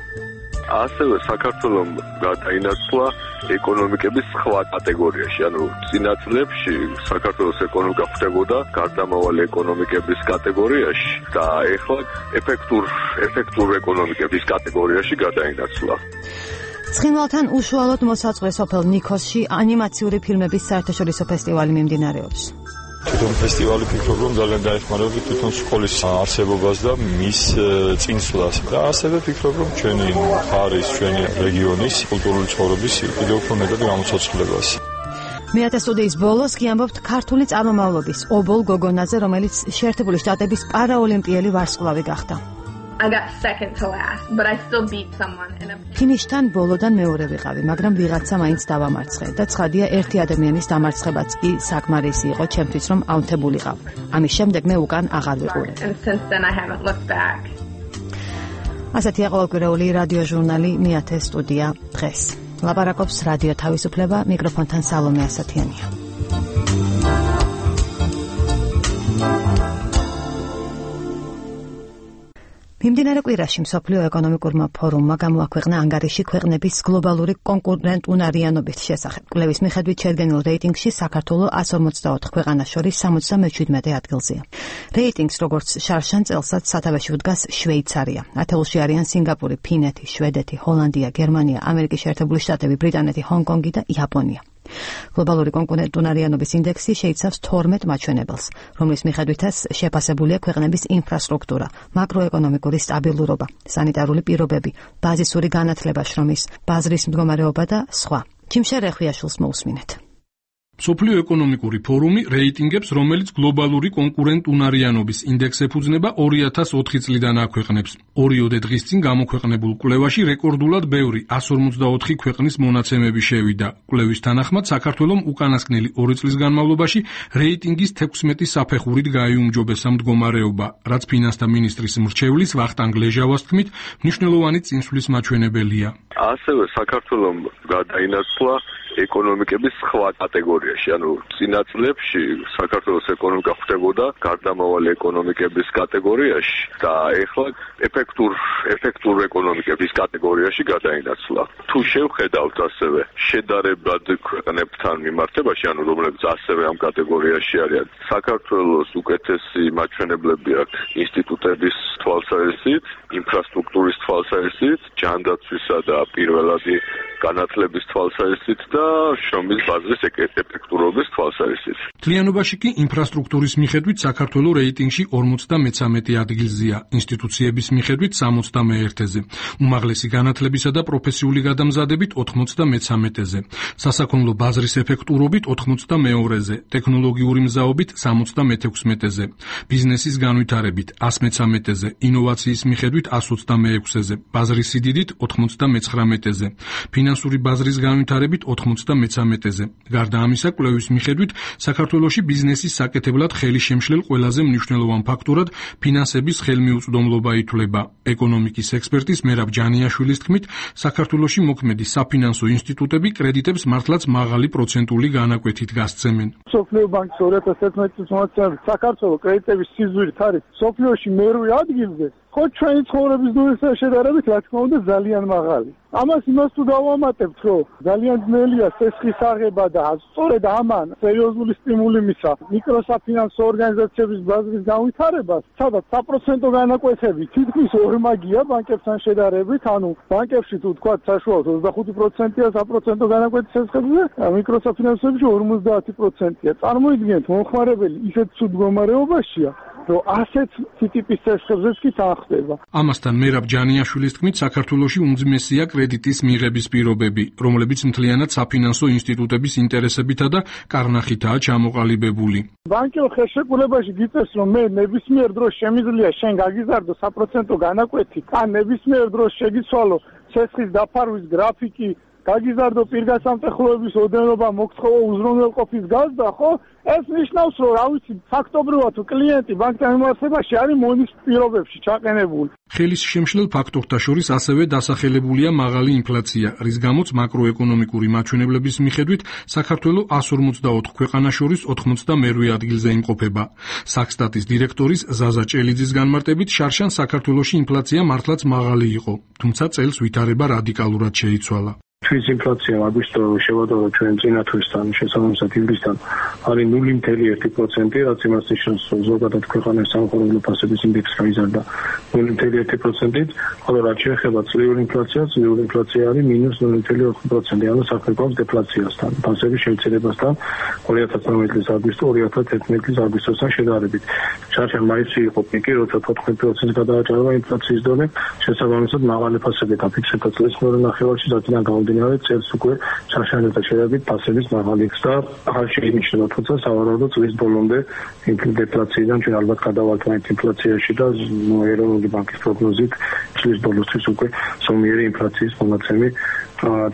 ასევე საქართველოს გადაინაცვლა ეკონომიკების სხვა კატეგორიაში, ანუ წინა წლებში საქართველოს ეკონომიკა ხვდებოდა გარდამავალი ეკონომიკების კატეგორიაში და ეხლა ეფექტურ ეკონომიკების კატეგორიაში გადაინაცვლა. ცხინვალთან უშუალოდ მოსაწყლე სოფელ ნიქოსში ანიმაციური ფილმების საერთაშორისო ფესტივალი მიმდინარეობს. თვითონ ფესტივალი ფიქრობ, რომ ძალიან დაეხმარება თვითონ სკოლის არსებობას და მის წინსვლას. და ასევე ფიქრობ, რომ ჩვენი მხარის, ჩვენი რეგიონის კულტურული ცხოვრების კიდევ უფრო მეტად გამოცოცხლებას. მე-10 სტუდიის ბოლოს კი ამბობთ ქართული წარმომავლობის ობოლ გოგონაზე, რომელიც შეერთებული შტატების პარაოლიმპიელი ვარსკვლავი გახდა. I got second to last, but I still beat someone in a ფინიშთან ბოლოდან მეორე ვიყავი, მაგრამ ვიღაცა მაინც დავამარცხე და ცხადია ერთი ადამიანის დამარცხებაც კი საკმარისი იყო ჩემთვის, რომ აუნთებულიყავ. ამის შემდეგ მე უკან აღარ ვიყურე. And since then I haven't looked back. ასეთია ყოველკვირეული რადიო ჟურნალი მე-10 სტუდია დღეს. ლაპარაკობს რადიო თავისუფლება, მიკროფონთან სალომე ასათიანია. მიმდინარე კვირაში მსოფლიო ეკონომიკურმა ფორუმმა გამოაქვეყნა ანგარიში ქვეყნების გლობალური კონკურენტუნარიანობის შესახებ. კვლევის მიხედვით შედგენილ რეიტინგში საქართველოს 154 ქვეყანას შორის 77 ადგილზეა. რეიტინგს როგორც შარშან წელსაც სათავეში უდგას შვეიცარია. ათეულში არიან სინგაპური, ფინეთი, შვედეთი, ჰოლანდია, გერმანია, ამერიკის შეერთებული შტატები, ბრიტანეთი, ჰონგ-კონგი და იაპონია. გლობალური კონკურენტუნარიანობის ინდექსი შეიცავს 12 მაჩვენებელს, რომლის მიხედვითაც შეფასებულია ქვეყნების ინფრასტრუქტურა, მაკროეკონომიკური სტაბილურობა, სანიტარული პირობები, ბაზისური განათლება, შრომის ბაზრის მდგომარეობა და სხვა. ჯიმშე რეხვიაშვილს მოусმინეთ. სოფლიო ეკონომიკური ფორუმი რეიტინგებს, რომელიც გლობალური კონკურენტუნარიანობის ინდექსს ეფუძნება 2004 წლიდან აქვეყნებს. ორიოდე დღის წინ გამოქვეყნებულ კვლევაში რეკორდულად ბევრი 154 ქვეყნის მონაცემები შევიდა. კვლევის თანახმად საქართველოს უკანასკნელი 2 წლის განმავლობაში რეიტინგის 16 საფეხურით გაიუმჯობესა მდგომარეობა, რაც ფინანსთა მინისტრის მრჩევლის ვახტანგ ლეჟავას თქმით, მნიშვნელოვანი წინსვლის მაჩვენებელია. ასევე საქართველოს გადაინაცვლა ეკონომიკების სხვა კატეგორიაში, ანუ წინა წლებში საქართველოს ეკონომიკა ხვდებოდა გარდამავალი ეკონომიკების კატეგორიაში და ეხლა ეფექტურ ეკონომიკების კატეგორიაში გადაინაცვლა. თუ შევხედავთ ასევე შედარებად ქვეყნებთან მიმართებაში, ანუ რომლებიც ასევე ამ კატეგორიაში არიან, საქართველოს უკეთესი მაჩვენებლები აქვს ინსტიტუტების თვალსაზრისით, ინფრასტრუქტურის თვალსაზრისით, ჯანდაცვისა და პირველადი განათლების თვალსაზრისით და შრომის ბაზრის ეფექტურობის თვალსაზრისით. მთლიანობაში კი ინფრასტრუქტურის მიხედვით საქართველოს რეიტინგში 53 ადგილზეა, ინსტიტუციების მიხედვით 71-ზე, უმაღლესი განათლებისა და პროფესიული გადამზადებით 93-ზე, სასაქონლო ბაზრის ეფექტურობით 82-ზე, ტექნოლოგიური მზაობით 76-ზე, ბიზნესის განვითარებით 113-ზე, ინოვაციის მიხედვით 126-ზე, ბაზრის სიდიდით 99-ზე, ფინანსური ბაზრის განვითარებით 93-ზე. გარდა ამისა, კვლევის მიხედვით საქართველოში ბიზნესის საკეთებლად ხელი შემშლელ ყველაზე მნიშვნელოვან ფაქტორად ფინანსების ხელმიუწვდომლობა ითვლება. ეკონომიკის ექსპერტის მერაბ ჯანიაშვილის თქმით, საქართველოში მოქმედი საფინანსო ინსტიტუტები კრედიტებს მართლაც მაღალი პროცენტული განაკვეთით გასცემენ. სოფლიო ბანკის 2011 წლის მონაცემებით საქართველოს კრედიტების სიზვირით არის სოფლიოში მერვე ადგილზე ხო ჩვენი ცხოვრების დონესთან შედარებით რა თქმა უნდა ძალიან მაღალი. ამას იმას თუ დავამატებთ, რომ ძალიან ძნელია სესხის აღება და სწორედ ამან სერიოზული სტიმული მისცა მიკროსაფინანსო ორგანიზაციების ბაზრის განვითარებას, სადაც საპროცენტო განაკვეთები თითქმის ორმაგია ბანკებთან შედარებით, ანუ ბანკებში თუ თქვა საშუალოდ 25%-ია საპროცენტო განაკვეთის სესხებზე, მიკროსაფინანსოებში 50%-ია. წარმოიდგინეთ, მომხმარებელი ისეთ ცუდ მდგომარეობაშია, რომ ასეთ ტიპის სესხებზეც კი თანხდება. ამასთან მერაბ ჯანიაშვილის თქმით, საქართველოში უმძიმესია კრედიტის მიღების პირობები, რომლებიც მთლიანად საფინანსო ინსტიტუტების ინტერესებითა და კარნახითაა ჩამოყალიბებული. ბანკი ხელშეკრულებაში გიწევს, რომ მე ნებისმიერ დროს შემიძლია შენ გაგიზარდო საპროცენტო განაკვეთი, ან ნებისმიერ დროს შეგიცვალო სესხის დაფარვის გრაფიკი, გაგიზარდო პირგასამტეხლოების ოდენობა, მოგცხოვო უზრუნველყოფის გაზრდა, ხო? ეს ნიშნავს, რომ რა ვიცი, ფაქტობრივად თუ კლიენტი ბანკთან მიმართებაში არის მონის პირობებში ჩაყენებული. ხელის შემშლელ ფაქტორთა შორის ასევე დასახელებულია მაღალი ინფლაცია, რის გამოც მაკროეკონომიკური მაჩვენებლების მიხედვით საქართველო 154 ქვეყანას შორის 92 ადგილზე იმყოფება. საქსტატის დირექტორის ზაზა ჭელიძის განმარტებით, შარშან საქართველოში ინფლაცია მართლაც მაღალი იყო, თუმცა წელს ვითარება რადიკალურად შეიცვალა. Ჩვენი ინფლაცია აგვისტოში შევადაროთ ჩვენ წინა თვისთან შესაბამისად ივლისთან არის 0.1%, რაც იმას ნიშნავს, რომ ზოგადად ქვეყანაში სამხარობლო ფასების ინდექსი გაიზარდა 0.1%-ით, ხოლო რაც შეეხება წლიური ინფლაციას, წლიური ინფლაცია არის -0.4%, ანუ საფრთხეს დეფლაციასთან, ფასების შემცირებასთან 2019 წლის აგვისტო 2011 წლის აგვისტოსთან შედარებით. შარშან მაისში იყო პიკი, როცა 14%-ს გადააჭარბა ინფლაციის დონე, შესაბამისად მაღალი ფასები დაფიქსირდა წლის მეორე ნახევარში, რადგან გამომდინარე წელს უკვე შარშანთან შედარებით ფასების მაღალი ხსნა ახალ შეინიშნება, თუმცა სავარაუდოდ წლის ბოლომდე დეფლაციიდან ჩვენ ალბათ გადავალთ ინფლაციაში და ეროვნული ბანკის პროგნოზით წლის ბოლოსთვის უკვე ზომიერი ინფლაციის მონაცემი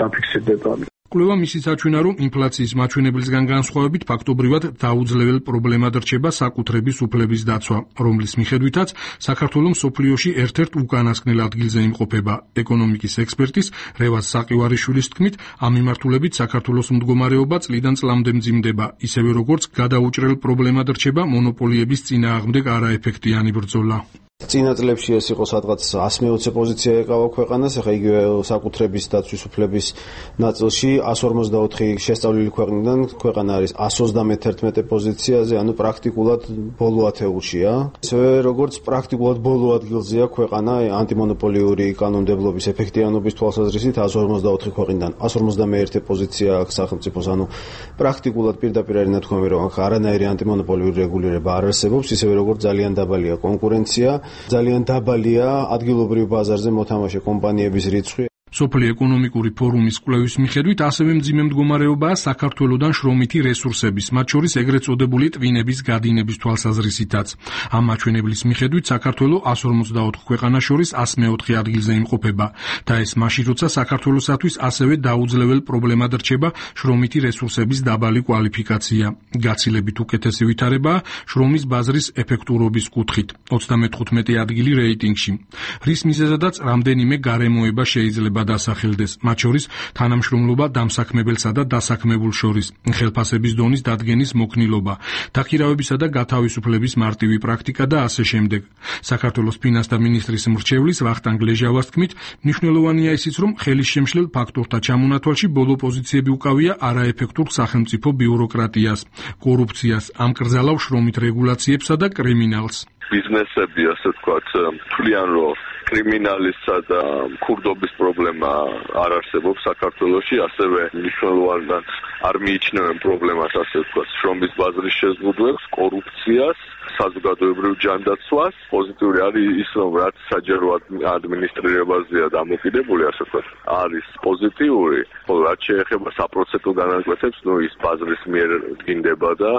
დაფიქსირდება. კვლევა მისიც აჩვენა, რომ ინფლაციის მაჩვენებლისგან განსხვავებით ფაქტობრივად დაუძლებელ პრობლემად რჩება საკუთრების უფლების დაცვა, რომლის მიხედვითაც საქართველო მსოფლიოში ერთ-ერთ უკანასკნელ ადგილზე იმყოფება. ეკონომიკის ექსპერტის რევაზ საყივარიშვილის თქმით, ამ მიმართულებით საქართველოს მდგომარეობა წლიდან წლამდე მძიმდება, ისევე როგორც გადაუჭრელ პრობლემად რჩება მონოპოლიების წინააღმდეგ არაეფექტიანი ბრძოლა. წინა წლებში ეს იყო სადღაც 120 პოზიცია ეკავა ქვეყანას, ახლა იგივე საკუთრების დაცვის უფლების ნაწილში 144 შესწავლილი ქვეყნიდან ქვეყანა არის 131 პოზიციაზე, ანუ პრაქტიკულად ბოლო ათეულშია. ისევე როგორც პრაქტიკულად ბოლო ადგილზეა ქვეყანა ანტიმონოპოლიური კანონმდებლობის ეფექტიანობის თვალსაზრისით 154 ქვეყნიდან 151 პოზიცია აქვს სახელმწიფოს, ანუ პრაქტიკულად პირდაპირ არის ნათქვამი, რომ აქ არანაირი ანტიმონოპოლიური რეგულირება არ არსებობს, ისევე როგორც ძალიან დაბალია კონკურენცია. ძალიან დაბალია ადგილობრივ ბაზარზე მოთამაშე კომპანიების რიცხვი. სოფლიო ეკონომიკური ფორუმის კვლევის მიხედვით ასევე მძიმე მდგომარეობაა საქართველოდან შრომითი რესურსების, მათ შორის ეგრეთ წოდებული ტვინების გადინების თვალსაზრისითაც. ამ მაჩვენებლის მიხედვით საქართველო 154 ქვეყანას შორის 104 ადგილზე იმყოფება და ეს მაშინ, როცა საქართველოსათვის ასევე დაუძლებელ პრობლემად რჩება შრომითი რესურსების დაბალი კვალიფიკაცია. გაცილებით უკეთესი ვითარებაა შრომის ბაზრის ეფექტურობის კუთხით, 35 ადგილი რეიტინგში. რის მიზეზადაც რამდენიმე გარემოება შეიძლება დასახელდეს, მათ შორის თანამშრომლობა დამსაქმებელსა და დასაქმებულ შორის, ხელფასების დონის დადგენის მოქნილობა, დაქირავებისა და გათავისუფლების მარტივი პრაქტიკა და ასე შემდეგ. საქართველოს ფინანსთა მინისტრის მრჩევლის ვახტანგ ლეჟავას თქმით, მნიშვნელოვანია ისიც, რომ ხელის შემშლელ ფაქტორთა ჩამონათვალში ბოლო პოზიციები უკავია არაეფექტურ სახელმწიფო ბიუროკრატიას, კორუფციას, ამკრძალავ შრომით რეგულაციებსა და კრიმინალს. ბიზნესები, ასე ვთქვათ, თვლიან, რომ კრიმინალისა და ქურდობის პრობლემა არ არსებობს საქართველოში, ასევე მნიშვნელოვნად არ მიიჩნევენ პრობლემას, ასე ვთქვათ, შრომის ბაზრის შეზღუდვებს, კორუფციას, საზოგადოებრივ ჯანდაცვას. პოზიტიური არის ის, რომ რაც საჯარო ადმინისტრირებაზეა დამოკიდებული, ასე ვთქვათ, არის პოზიტიური, ხოლო რაც შეეხება საპროცენტო განაკვეთებს, ის ბაზრის მიერ დგინდება და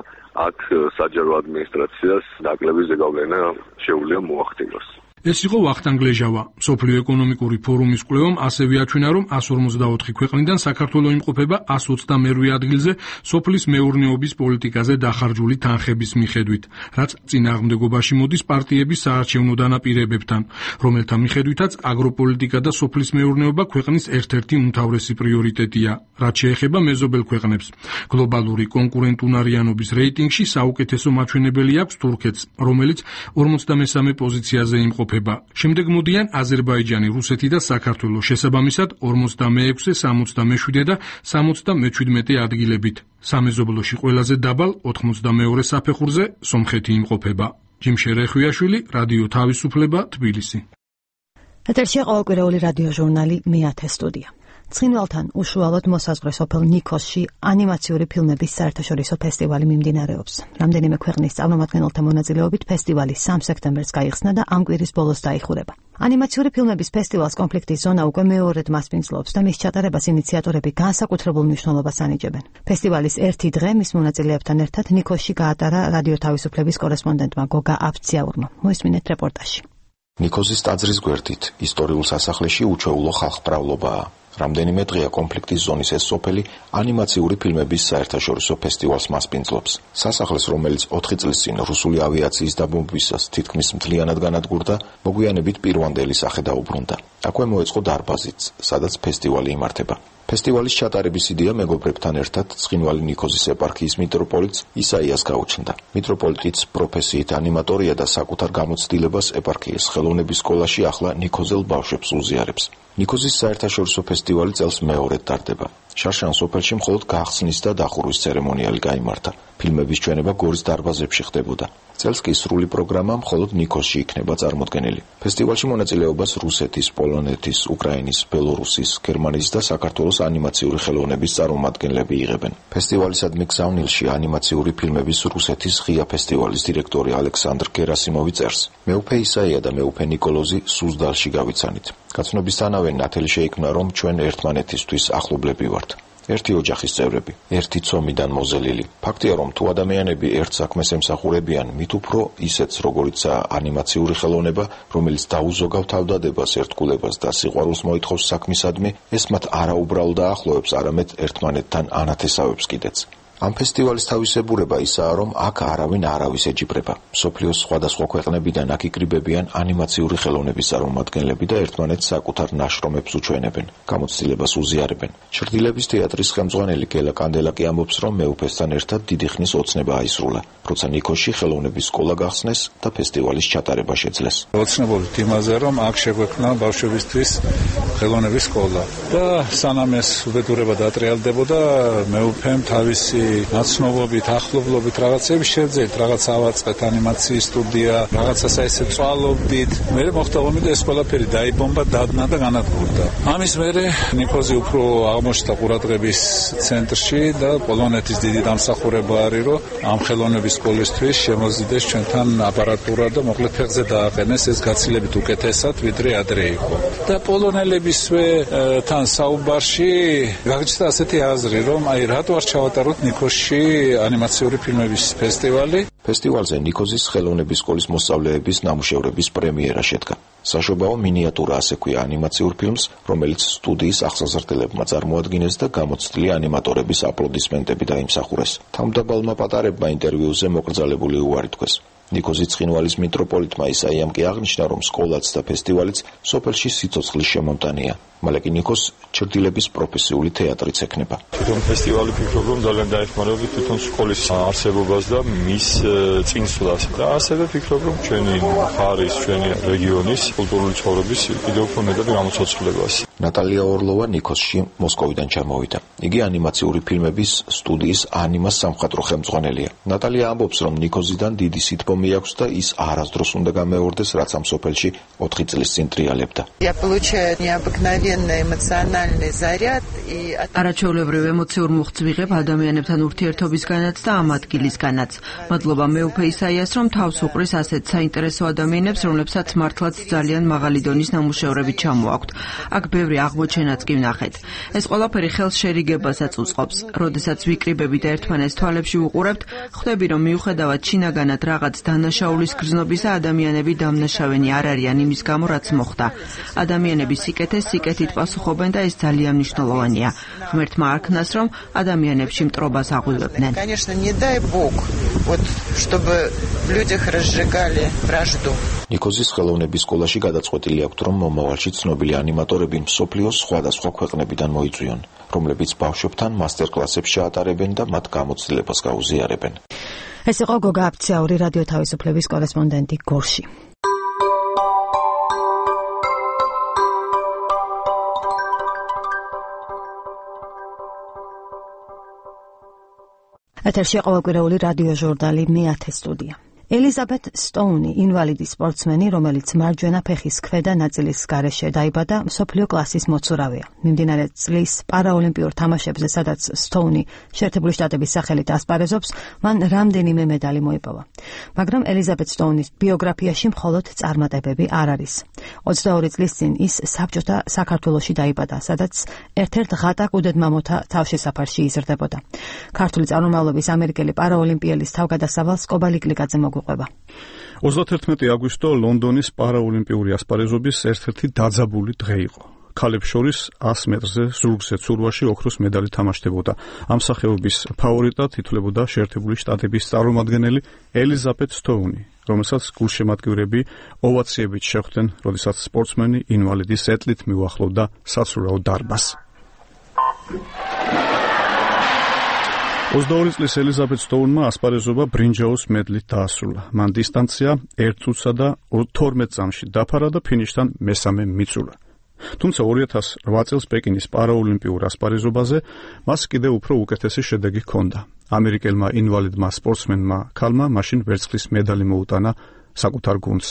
აქ საჯარო ადმინისტრაციას ნაკლები ზეგავლენა შეუძლია მოახდინოს. ეს იყო ვახტანგ ლეჟავა. სოფლიო ეკონომიკური ფორუმის კვლევამ ასევე აჩვენა, რომ 144 ქვეყნიდან საქართველო იმყოფება 122 ადგილზე სოფლის მეურნეობის პოლიტიკაზე დახარჯული თანხების მიხედვით, რაც წინააღმდეგობაში მოდის პარტიების საარჩევნო დანაპირებებთან, რომელთა მიხედვითაც აგროპოლიტიკა და სოფლის მეურნეობა ქვეყნის ერთ-ერთი უმთავრესი პრიორიტეტია, რაც შეეხება მეზობელ ქვეყნებს. გლობალური კონკურენტუნარიანობის რეიტინგში საუკეთესო მაჩვენებელი აქვს თურქეთს, რომელიც 43 პოზიციაზე იმყოფება. იმყოფება. შემდეგ მოდიან აზერბაიჯანი, რუსეთი და საქართველო, შესაბამისად 46, 67 და 77 ადგილებით. სამეზობლოში ყველაზე დაბალ 82 საფეხურზე სომხეთი იმყოფება. ჯიმშე რეხვიაშვილი, რადიო თავისუფლება, თბილისი. ეთერშია ყოველკვირეული რადიო ჟურნალი მე-10 სტუდია. ცხინვალთან უშუალოდ მოსაზღვრე სოფელ ნიქოზში ანიმაციური ფილმების საერთაშორისო ფესტივალი მიმდინარეობს. რამდენიმე ქვეყნის წარმომადგენელთა მონაწილეობით ფესტივალი 3 სექტემბერს გაიხსნა და ამ კვირის ბოლოს დაიხურება. ანიმაციური ფილმების ფესტივალს კონფლიქტის ზონა უკვე მეორედ მასპინძლობს და მის ჩატარებას ინიციატორები განსაკუთრებულ მნიშვნელობას ანიჭებენ. ფესტივალის ერთი დღე მის მონაწილეებთან ერთად ნიქოზში გაატარა რადიო თავისუფლების კორესპონდენტმა გოგა აფციაურმა. მოისმინეთ რეპორტაჟი. ნიქოზის ტაძრის გვერდით ისტორიულ სასახლეში უჩვეულო ხალხმრავლობაა. რამდენიმე დღეა კონფლიქტის ზონის ეს სოფელი ანიმაციური ფილმების საერთაშორისო ფესტივალს მასპინძლობს. სასახლეს, რომელიც 4 წლის წინ რუსული ავიაციის დაბომბვისას თითქმის მთლიანად განადგურდა, მოგვიანებით პირვანდელი სახე დაუბრუნდა. აქვე მოეწყო დარბაზიც, სადაც ფესტივალი იმართება. ფესტივალის ჩატარების იდეა მეგობრებთან ერთად ცხინვალი ნიქოზის ეპარქიის მიტროპოლიტს ისაიას გაუჩნდა. მიტროპოლიტიც პროფესიით ანიმატორია და საკუთარ გამოცდილებას ეპარქიის ხელოვნების სკოლაში ახლა ნიქოზელ ბავშვებს უზიარებს. ნიქოზის საერთაშორისო ფესტივალი წელს მეორედ ტარდება. შარშან სოფელში მხოლოდ გახსნის და დახურვის ცერემონიალი გაიმართა. ფილმების ჩვენება გორის დარბაზებში ხდებოდა. წელს კი სრული პროგრამა მხოლოდ ნიქოზში იქნება წარმოდგენილი. ფესტივალში მონაწილეობას რუსეთის, პოლონეთის, უკრაინის, ბელორუსის, გერმანიის და საქართველოს ანიმაციური ხელოვნების წარმომადგენლები იღებენ. ფესტივალისადმი გზავნილში ანიმაციური ფილმების რუსეთის ღია ფესტივალის დირექტორი ალექსანდრ გერასიმოვი წერს: მეუფე ისაია და მეუფე ნიკოლოზი სუზდალში გავიცანით. გაცნობისთანავე ნათელი შეიქმნა, რომ ჩვენ ერთმანეთისთვის ახლობლები ვართ. ერთი ოჯახის წევრები, ერთი ცომიდან მოზელილი. ფაქტია, რომ თუ ადამიანები ერთ საქმეს ემსახურებიან, მით უფრო ისეთს, როგორიცაა ანიმაციური ხელოვნება, რომელიც დაუზოგავ თავდადებას, ერთგულებას და სიყვარულს მოითხოვს საქმისადმი, ეს მათ არაუბრალოდ აახლოებს, არამედ ერთმანეთთან ანათესავებს კიდეც. ამ ფესტივალის თავისებურება ისაა, რომ აქ არავინ არავის ეჯიბრება. მსოფლიოს სხვადასხვა ქვეყნებიდან აქ იკრიბებიან ანიმაციური ხელოვნების წარმომადგენლები და ერთმანეთს საკუთარ ნაშრომებს უჩვენებენ, გამოცდილებას უზიარებენ. ჩრდილების თეატრის ხელმძღვანელი გელა კანდელაკი ამბობს, რომ მეუფესთან ერთად დიდი ხნის ოცნება აისრულა, როცა ნიქოზში ხელოვნების სკოლა გახსნეს და ფესტივალის ჩატარება შეძლეს. ოცნებობით იმაზე, რომ აქ შეგვექმნა ბავშვებისთვის ხელოვნების სკოლა და სანამ ეს უბედურება დატრიალდებოდა, მეუფემ თავისი ნაცნობობით, ახლობლობით რაღაცები შევძელით, რაღაც ავაწყეთ ანიმაციის სტუდია, რაღაცას ესე წვალობდით. მე მოხდა ომი და ეს ყველაფერი დაიბომბა, დადნა და განადგურდა. ამის მერე ნიქოზი უფრო აღმოჩნდა ყურადღების ცენტრში და პოლონეთის დიდი დამსახურება არის, რომ ამ ხელოვნების სკოლისთვის შემოზიდეს ჩვენთან აპარატურა და მოკლედ ფეხზე დააყენეს ეს გაცილებით უკეთესად, ვიდრე ადრე იყო. და პოლონელებისვე თან საუბარში გაგჭირდა ასეთი აზრი, რომ აი რატო არ ჩავატაროთ ნიქოზში ანიმაციური ფილმების ფესტივალი. ფესტივალზე ნიქოზის ხელოვნების სკოლის მოსწავლეების ნამუშევრების პრემიერა შედგა. საშობაო მინიატურა, ასე ქვია ანიმაციურ ფილმს, რომელიც სტუდიის ახსაზრდელებმა წარმოადგინეს და გამოცდილი ანიმატორების აპლოდისმენტები დაიმსახურეს. თავმდაბალმა პატარებმა ინტერვიუზე მოკრძალებული უარი თქვეს. ნიქოზის ცხინვალის მიტროპოლიტმა ისაიამ კი აღნიშნა, რომ სკოლაც და ფესტივალიც სოფელში სიცოცხლის შემომტანია. მალე კი ნიქოზს ჩრდილების პროფესიული თეატრიც ექნება. თვითონ ფესტივალი ფიქრობ, რომ ძალიან დაეხმარება თვითონ სკოლის არსებობას და მის წინსვლას. და ასევე ფიქრობ, რომ ჩვენი მხარის, ჩვენი რეგიონის კულტურული ცხოვრების კიდევ უფრო მეტად გამოცოცხლებას. ნატალია ორლოვა ნიქოზში მოსკოვიდან ჩამოვიდა. იგი ანიმაციური ფილმების სტუდიის ანიმას სამხატვრო ხელმძღვანელია. ნატალია ამბობს, რომ ნიქოზიდან დიდი სითბომი აქვს და ის არასდროს უნდა გამეორდეს, რაც ამ სოფელში 4 წლის წინ ტრიალებდა. არაჩვეულებრივ ემოციურ მუხტს ვიღებ ადამიანებთან ურთიერთობისგანაც და ამ ადგილისგანაც. მადლობა მეუფე ისაიას, რომ თავს უყრის ასეთ საინტერესო ადამიანებს, რომლებსაც მართლაც ძალიან მაღალი დონის ნამუშევრები ჩამოაქვთ. აქ ბევრი აღმოჩენაც კი ვნახეთ. ეს ყველაფერი ხელს შერიგებასაც უწყობს. როდესაც ვიკრიბებით და ერთმანეთს თვალებში ვუყურებთ, ხვდები, რომ მიუხედავად შინაგანად რაღაც დანაშაულის გრძნობისა, ადამიანები დამნაშავენი არ არიან იმის გამო, რაც მოხდა. ადამიანები სიკეთეს სიკეთით პასუხობენ და ეს ძალიან მნიშვნელოვანია. ღმერთმა არქნას, რომ ადამიანებში მტრობას აღვივებდნენ. ნიქოზის ხელოვნების სკოლაში გადაწყვეტილი აქვთ, რომ მომავალში ცნობილი ანიმატორები მსოფლიოს სხვადასხვა ქვეყნებიდან მოიწვიონ, რომლებიც ბავშვებთან მასტერკლასებს ჩაატარებენ და მათ გამოცდილებას გაუზიარებენ. ეს იყო გოგა აფციაური რადიო თავისუფლების კორესპონდენტი გორში. ეთერში ყოველკვირეული რადიო ჟურნალი მე-10 სტუდია. ელიზაბეთ სტოუნი, ინვალიდი სპორტსმენი, რომელიც მარჯვენა ფეხის ქვედა ნაწილის გარეშე დაიბადა, მსოფლიო კლასის მოცურავია. მიმდინარე წლის პარაოლიმპიურ თამაშებზე, სადაც სტოუნი შეერთებული შტატების სახელით ასპარეზობს, მან რამდენიმე მედალი მოიპოვა. მაგრამ ელიზაბეთ სტოუნის ბიოგრაფიაში მხოლოდ წარმატებები არ არის. 22 წლის წინ ის საბჭოთა საქართველოში დაიბადა, სადაც ერთ-ერთ ღატაკ უდედმამოთა თავშესაფარში იზრდებოდა. ქართული წარმომავლობის ამერიკელი პარაოლიმპიელის თავგადასავალს კობალიკლიკაძე 31 აგვისტო ლონდონის პარაოლიმპიური ასპარეზობის ერთ-ერთი დაძაბული დღე იყო. ქალებს შორის 100 მეტრზე ზურგზე ცურვაში ოქროს მედალი თამაშდებოდა. ამ სახეობის ფავორიტად ითვლებოდა შეერთებული შტატების წარმომადგენელი ელიზაბეთ სტოუნი, რომელსაც გულშემატკივრები ოვაციებით შეხვდნენ, როდესაც სპორტსმენი ინვალიდის ეტლით მიუახლოვდა საცურაო დარბაზს. 22 წლის ელიზაბეთ სტოუნმა ასპარეზობა ბრინჯაოს მედლით დაასრულა. მან დისტანცია 1 წუთსა და 12 წამში დაფარა და ფინიშთან მესამე მიცურა. თუმცა 2008 წელს პეკინის პარაოლიმპიურ ასპარეზობაზე მას კიდევ უფრო უკეთესი შედეგი ჰქონდა. ამერიკელმა ინვალიდმა სპორტსმენმა ქალმა მაშინ ვერცხლის მედალი მოუტანა საკუთარ გუნდს.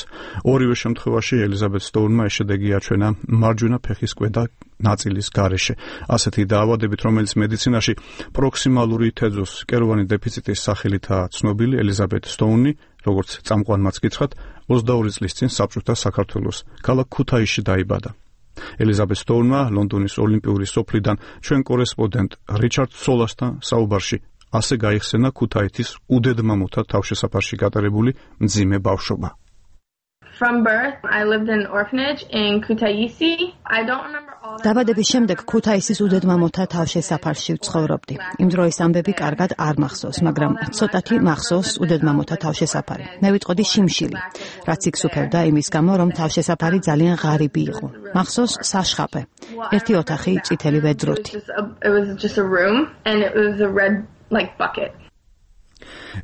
ორივე შემთხვევაში ელიზაბეთ სტოუნმა ეს შედეგი აჩვენა მარჯვენა ფეხის ქვედა ნაწილის გარეშე. ასეთი დაავადებით, რომელიც მედიცინაში პროქსიმალური თეზოს კეროვანი დეფიციტის სახელითაა ცნობილი, ელიზაბეთ სტოუნი, როგორც წამყვანმაც გითხრათ, 22 წლის წინ საბჭოთა საქართველოს ქალაქ ქუთაისში დაიბადა. ელიზაბეთ სტოუნმა ლონდონის ოლიმპიური სოფლიდან ჩვენ კორესპონდენტ რიჩარდ სოლასთან საუბარში ასე გაიხსენა ქუთაისის უდედმამოთა თავშესაფარში გატარებული მძიმე ბავშვობა. From birth, I lived in an orphanage in Kutaisi. I don't remember all დაბადების შემდეგ ქუთაისის უდედმამოთა თავშესაფარში ვცხოვრობდი. იმ დროის ამბები კარგად არ მახსოვს, მაგრამ ცოტათი მახსოვს უდედმამოთა თავშესაფარი. მე ვიტყოდი შიმშილი, რაც იქ სუფევდა იმის გამო, რომ თავშესაფარი ძალიან ღარიბი იყო. მახსოვს საშხაპე, ერთი ოთახი წითელი ვედროთი. It was just a room and it was a red like bucket.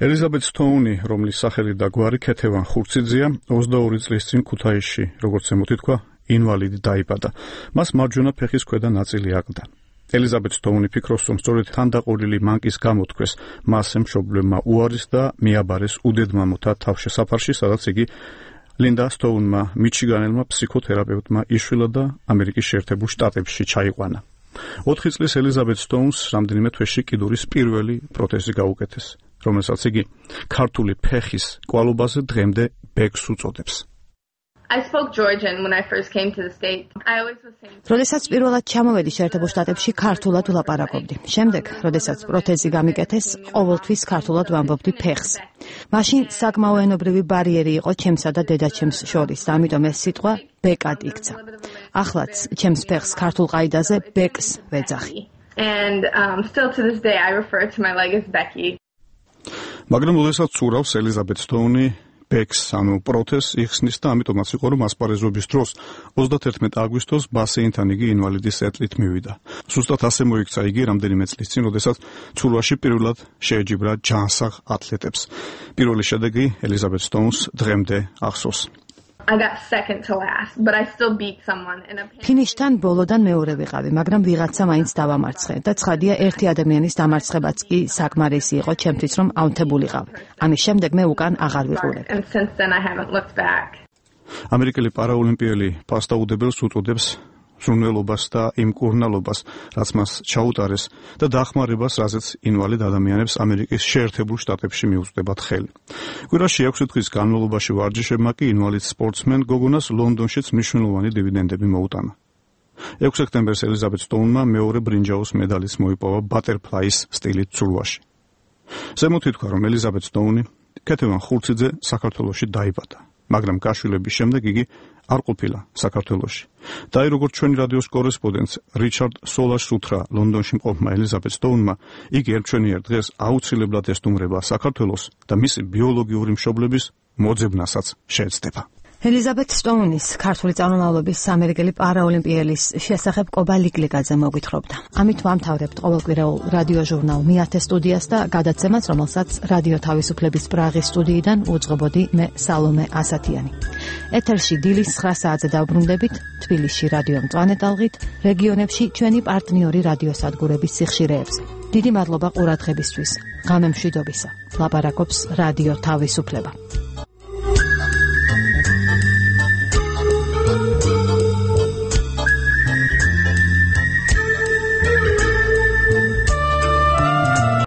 ელიზაბეთ სტოუნი, რომლის სახელი და გვარი ქეთევან ხურციძეა, 22 წლის წინ ქუთაისში, როგორც ემოთი თქვა, ინვალიდი დაიბადა. მას მარჯვენა ფეხის ქვედა ნაწილი აყდა. ელიზაბეთ სტოუნი ფიქრობს, რომ სწორედ თანდაყოლილი მანკის გამოთქვეს მასზე მშობლებმა უარის და მიაბარეს უდედმამოთა თავშესაფარში, სადაც იგი ლინდა სტოუნმა, მიჩიგანელმა ფსიქოთერაპევტმა იშვილა და ამერიკის შეერთებულ შტატებში ჩაიყვანა. 4 წლის ელიზაბეთ სტოუნს რამდენიმე თვეში კიდურის პირველი პროთეზი გაუკეთეს, რომელსაც იგი ქართული ფეხის კვალობაზე დღემდე ბექს უწოდებს. I spoke Georgian when I first came to the state. I always was saying როდესაც პირველად ჩამოვედი შეერთებულ შტატებში, ქართულად ვლაპარაკობდი. შემდეგ, როდესაც პროთეზი გამიკეთეს, ყოველთვის ქართულად ვამბობდი ფეხს. მაშინ საკმაო ენობრივი ბარიერი იყო ჩემსა და დედაჩემს შორის, და ამიტომ ეს სიტყვა ბეკად იქცა. ახლაც ჩემს ფეხს ქართულ ყაიდაზე ბეკს ვეძახი. And still to this day I refer to my leg as Becky. მაგრამ როდესაც ცურავს ელიზაბეთ სტოუნი ბექს, ანუ პროთეზს იხსნის და ამიტომაც იყო, რომ ასპარეზობის დროს 31 აგვისტოს ბასეინთან იგი ინვალიდის ეტლით მივიდა. ზუსტად ასე მოიქცა იგი რამდენიმე წლის წინ, როდესაც ცურვაში პირველად შეეჯიბრა ჯანსაღ ათლეტებს. პირველი შედეგი ელიზაბეთ სტოუნს დღემდე ახსოვს. I got second to last, but I still beat someone in a ფინიშთან ბოლოდან მეორე ვიყავი, მაგრამ ვიღაცა მაინც დავამარცხე და ცხადია ერთი ადამიანის დამარცხებაც კი საკმარისი იყო ჩემთვის, რომ აუნთებულიყავ. ამის შემდეგ მე უკან აღარ ვიყურებ. and since then I haven't looked back. ამერიკელი პარაოლიმპიელი ფასტაუდებელს უწოდებს ზრუნველობას და იმ კურნალობას, რაც მას ჩაუტარეს და დახმარებას, რაზეც ინვალიდ ადამიანებს ამერიკის შეერთებულ შტატებში მიუწვდებათ ხელი. კვირაში 6 დღის განმავლობაში ვარჯიშებმა კი ინვალიდ სპორტსმენ გოგონას ლონდონშიც მნიშვნელოვანი დივიდენდები მოუტანა. 6 სექტემბერს ელიზაბეთ სტოუნმა მეორე ბრინჯაოს მედალიც მოიპოვა ბატერფლაის სტილით ცურვაში. ზემოთ ითქვა, რომ ელიზაბეთ სტოუნი ქეთევან ხურციძე საქართველოში დაიბადა, მაგრამ გაშვილების შემდეგ იგი არ ყოფილა საქართველოში. და აი როგორც ჩვენი რადიოს კორესპონდენტს რიჩარდ სოლას უთხრა ლონდონში მყოფმა ელიზაბეთ სტოუნმა, იგი ერთჩვენიერ დღეს აუცილებლად ესტუმრება საქართველოს და მისი ბიოლოგიური მშობლების მოძებნასაც შეეცდება. ელიზაბეთ სტოუნის ქართული წარმომავლობის ამერიკელი პარაოლიმპიელის შესახებ კობა ლიკლიკაძე მოგვითხრობდა. ამით ვამთავრებთ ყოველკვირეულ რადიო ჟურნალ მიათე სტუდიას და გადაცემას, რომელსაც რადიო თავისუფლების პრაღის სტუდიიდან უძღვებოდი მე სალომე ასათიანი. ეთერში დილის 9 საათზე დავბრუნდებით, თბილისში რადიო მწვანე ტალღით, რეგიონებში ჩვენი პარტნიორი რადიოსადგურების სიხშირეებს. დიდი მადლობა ყურადღებისთვის. ღამემშვიდობისა. ლაპარაკობს რადიო თავისუფლება.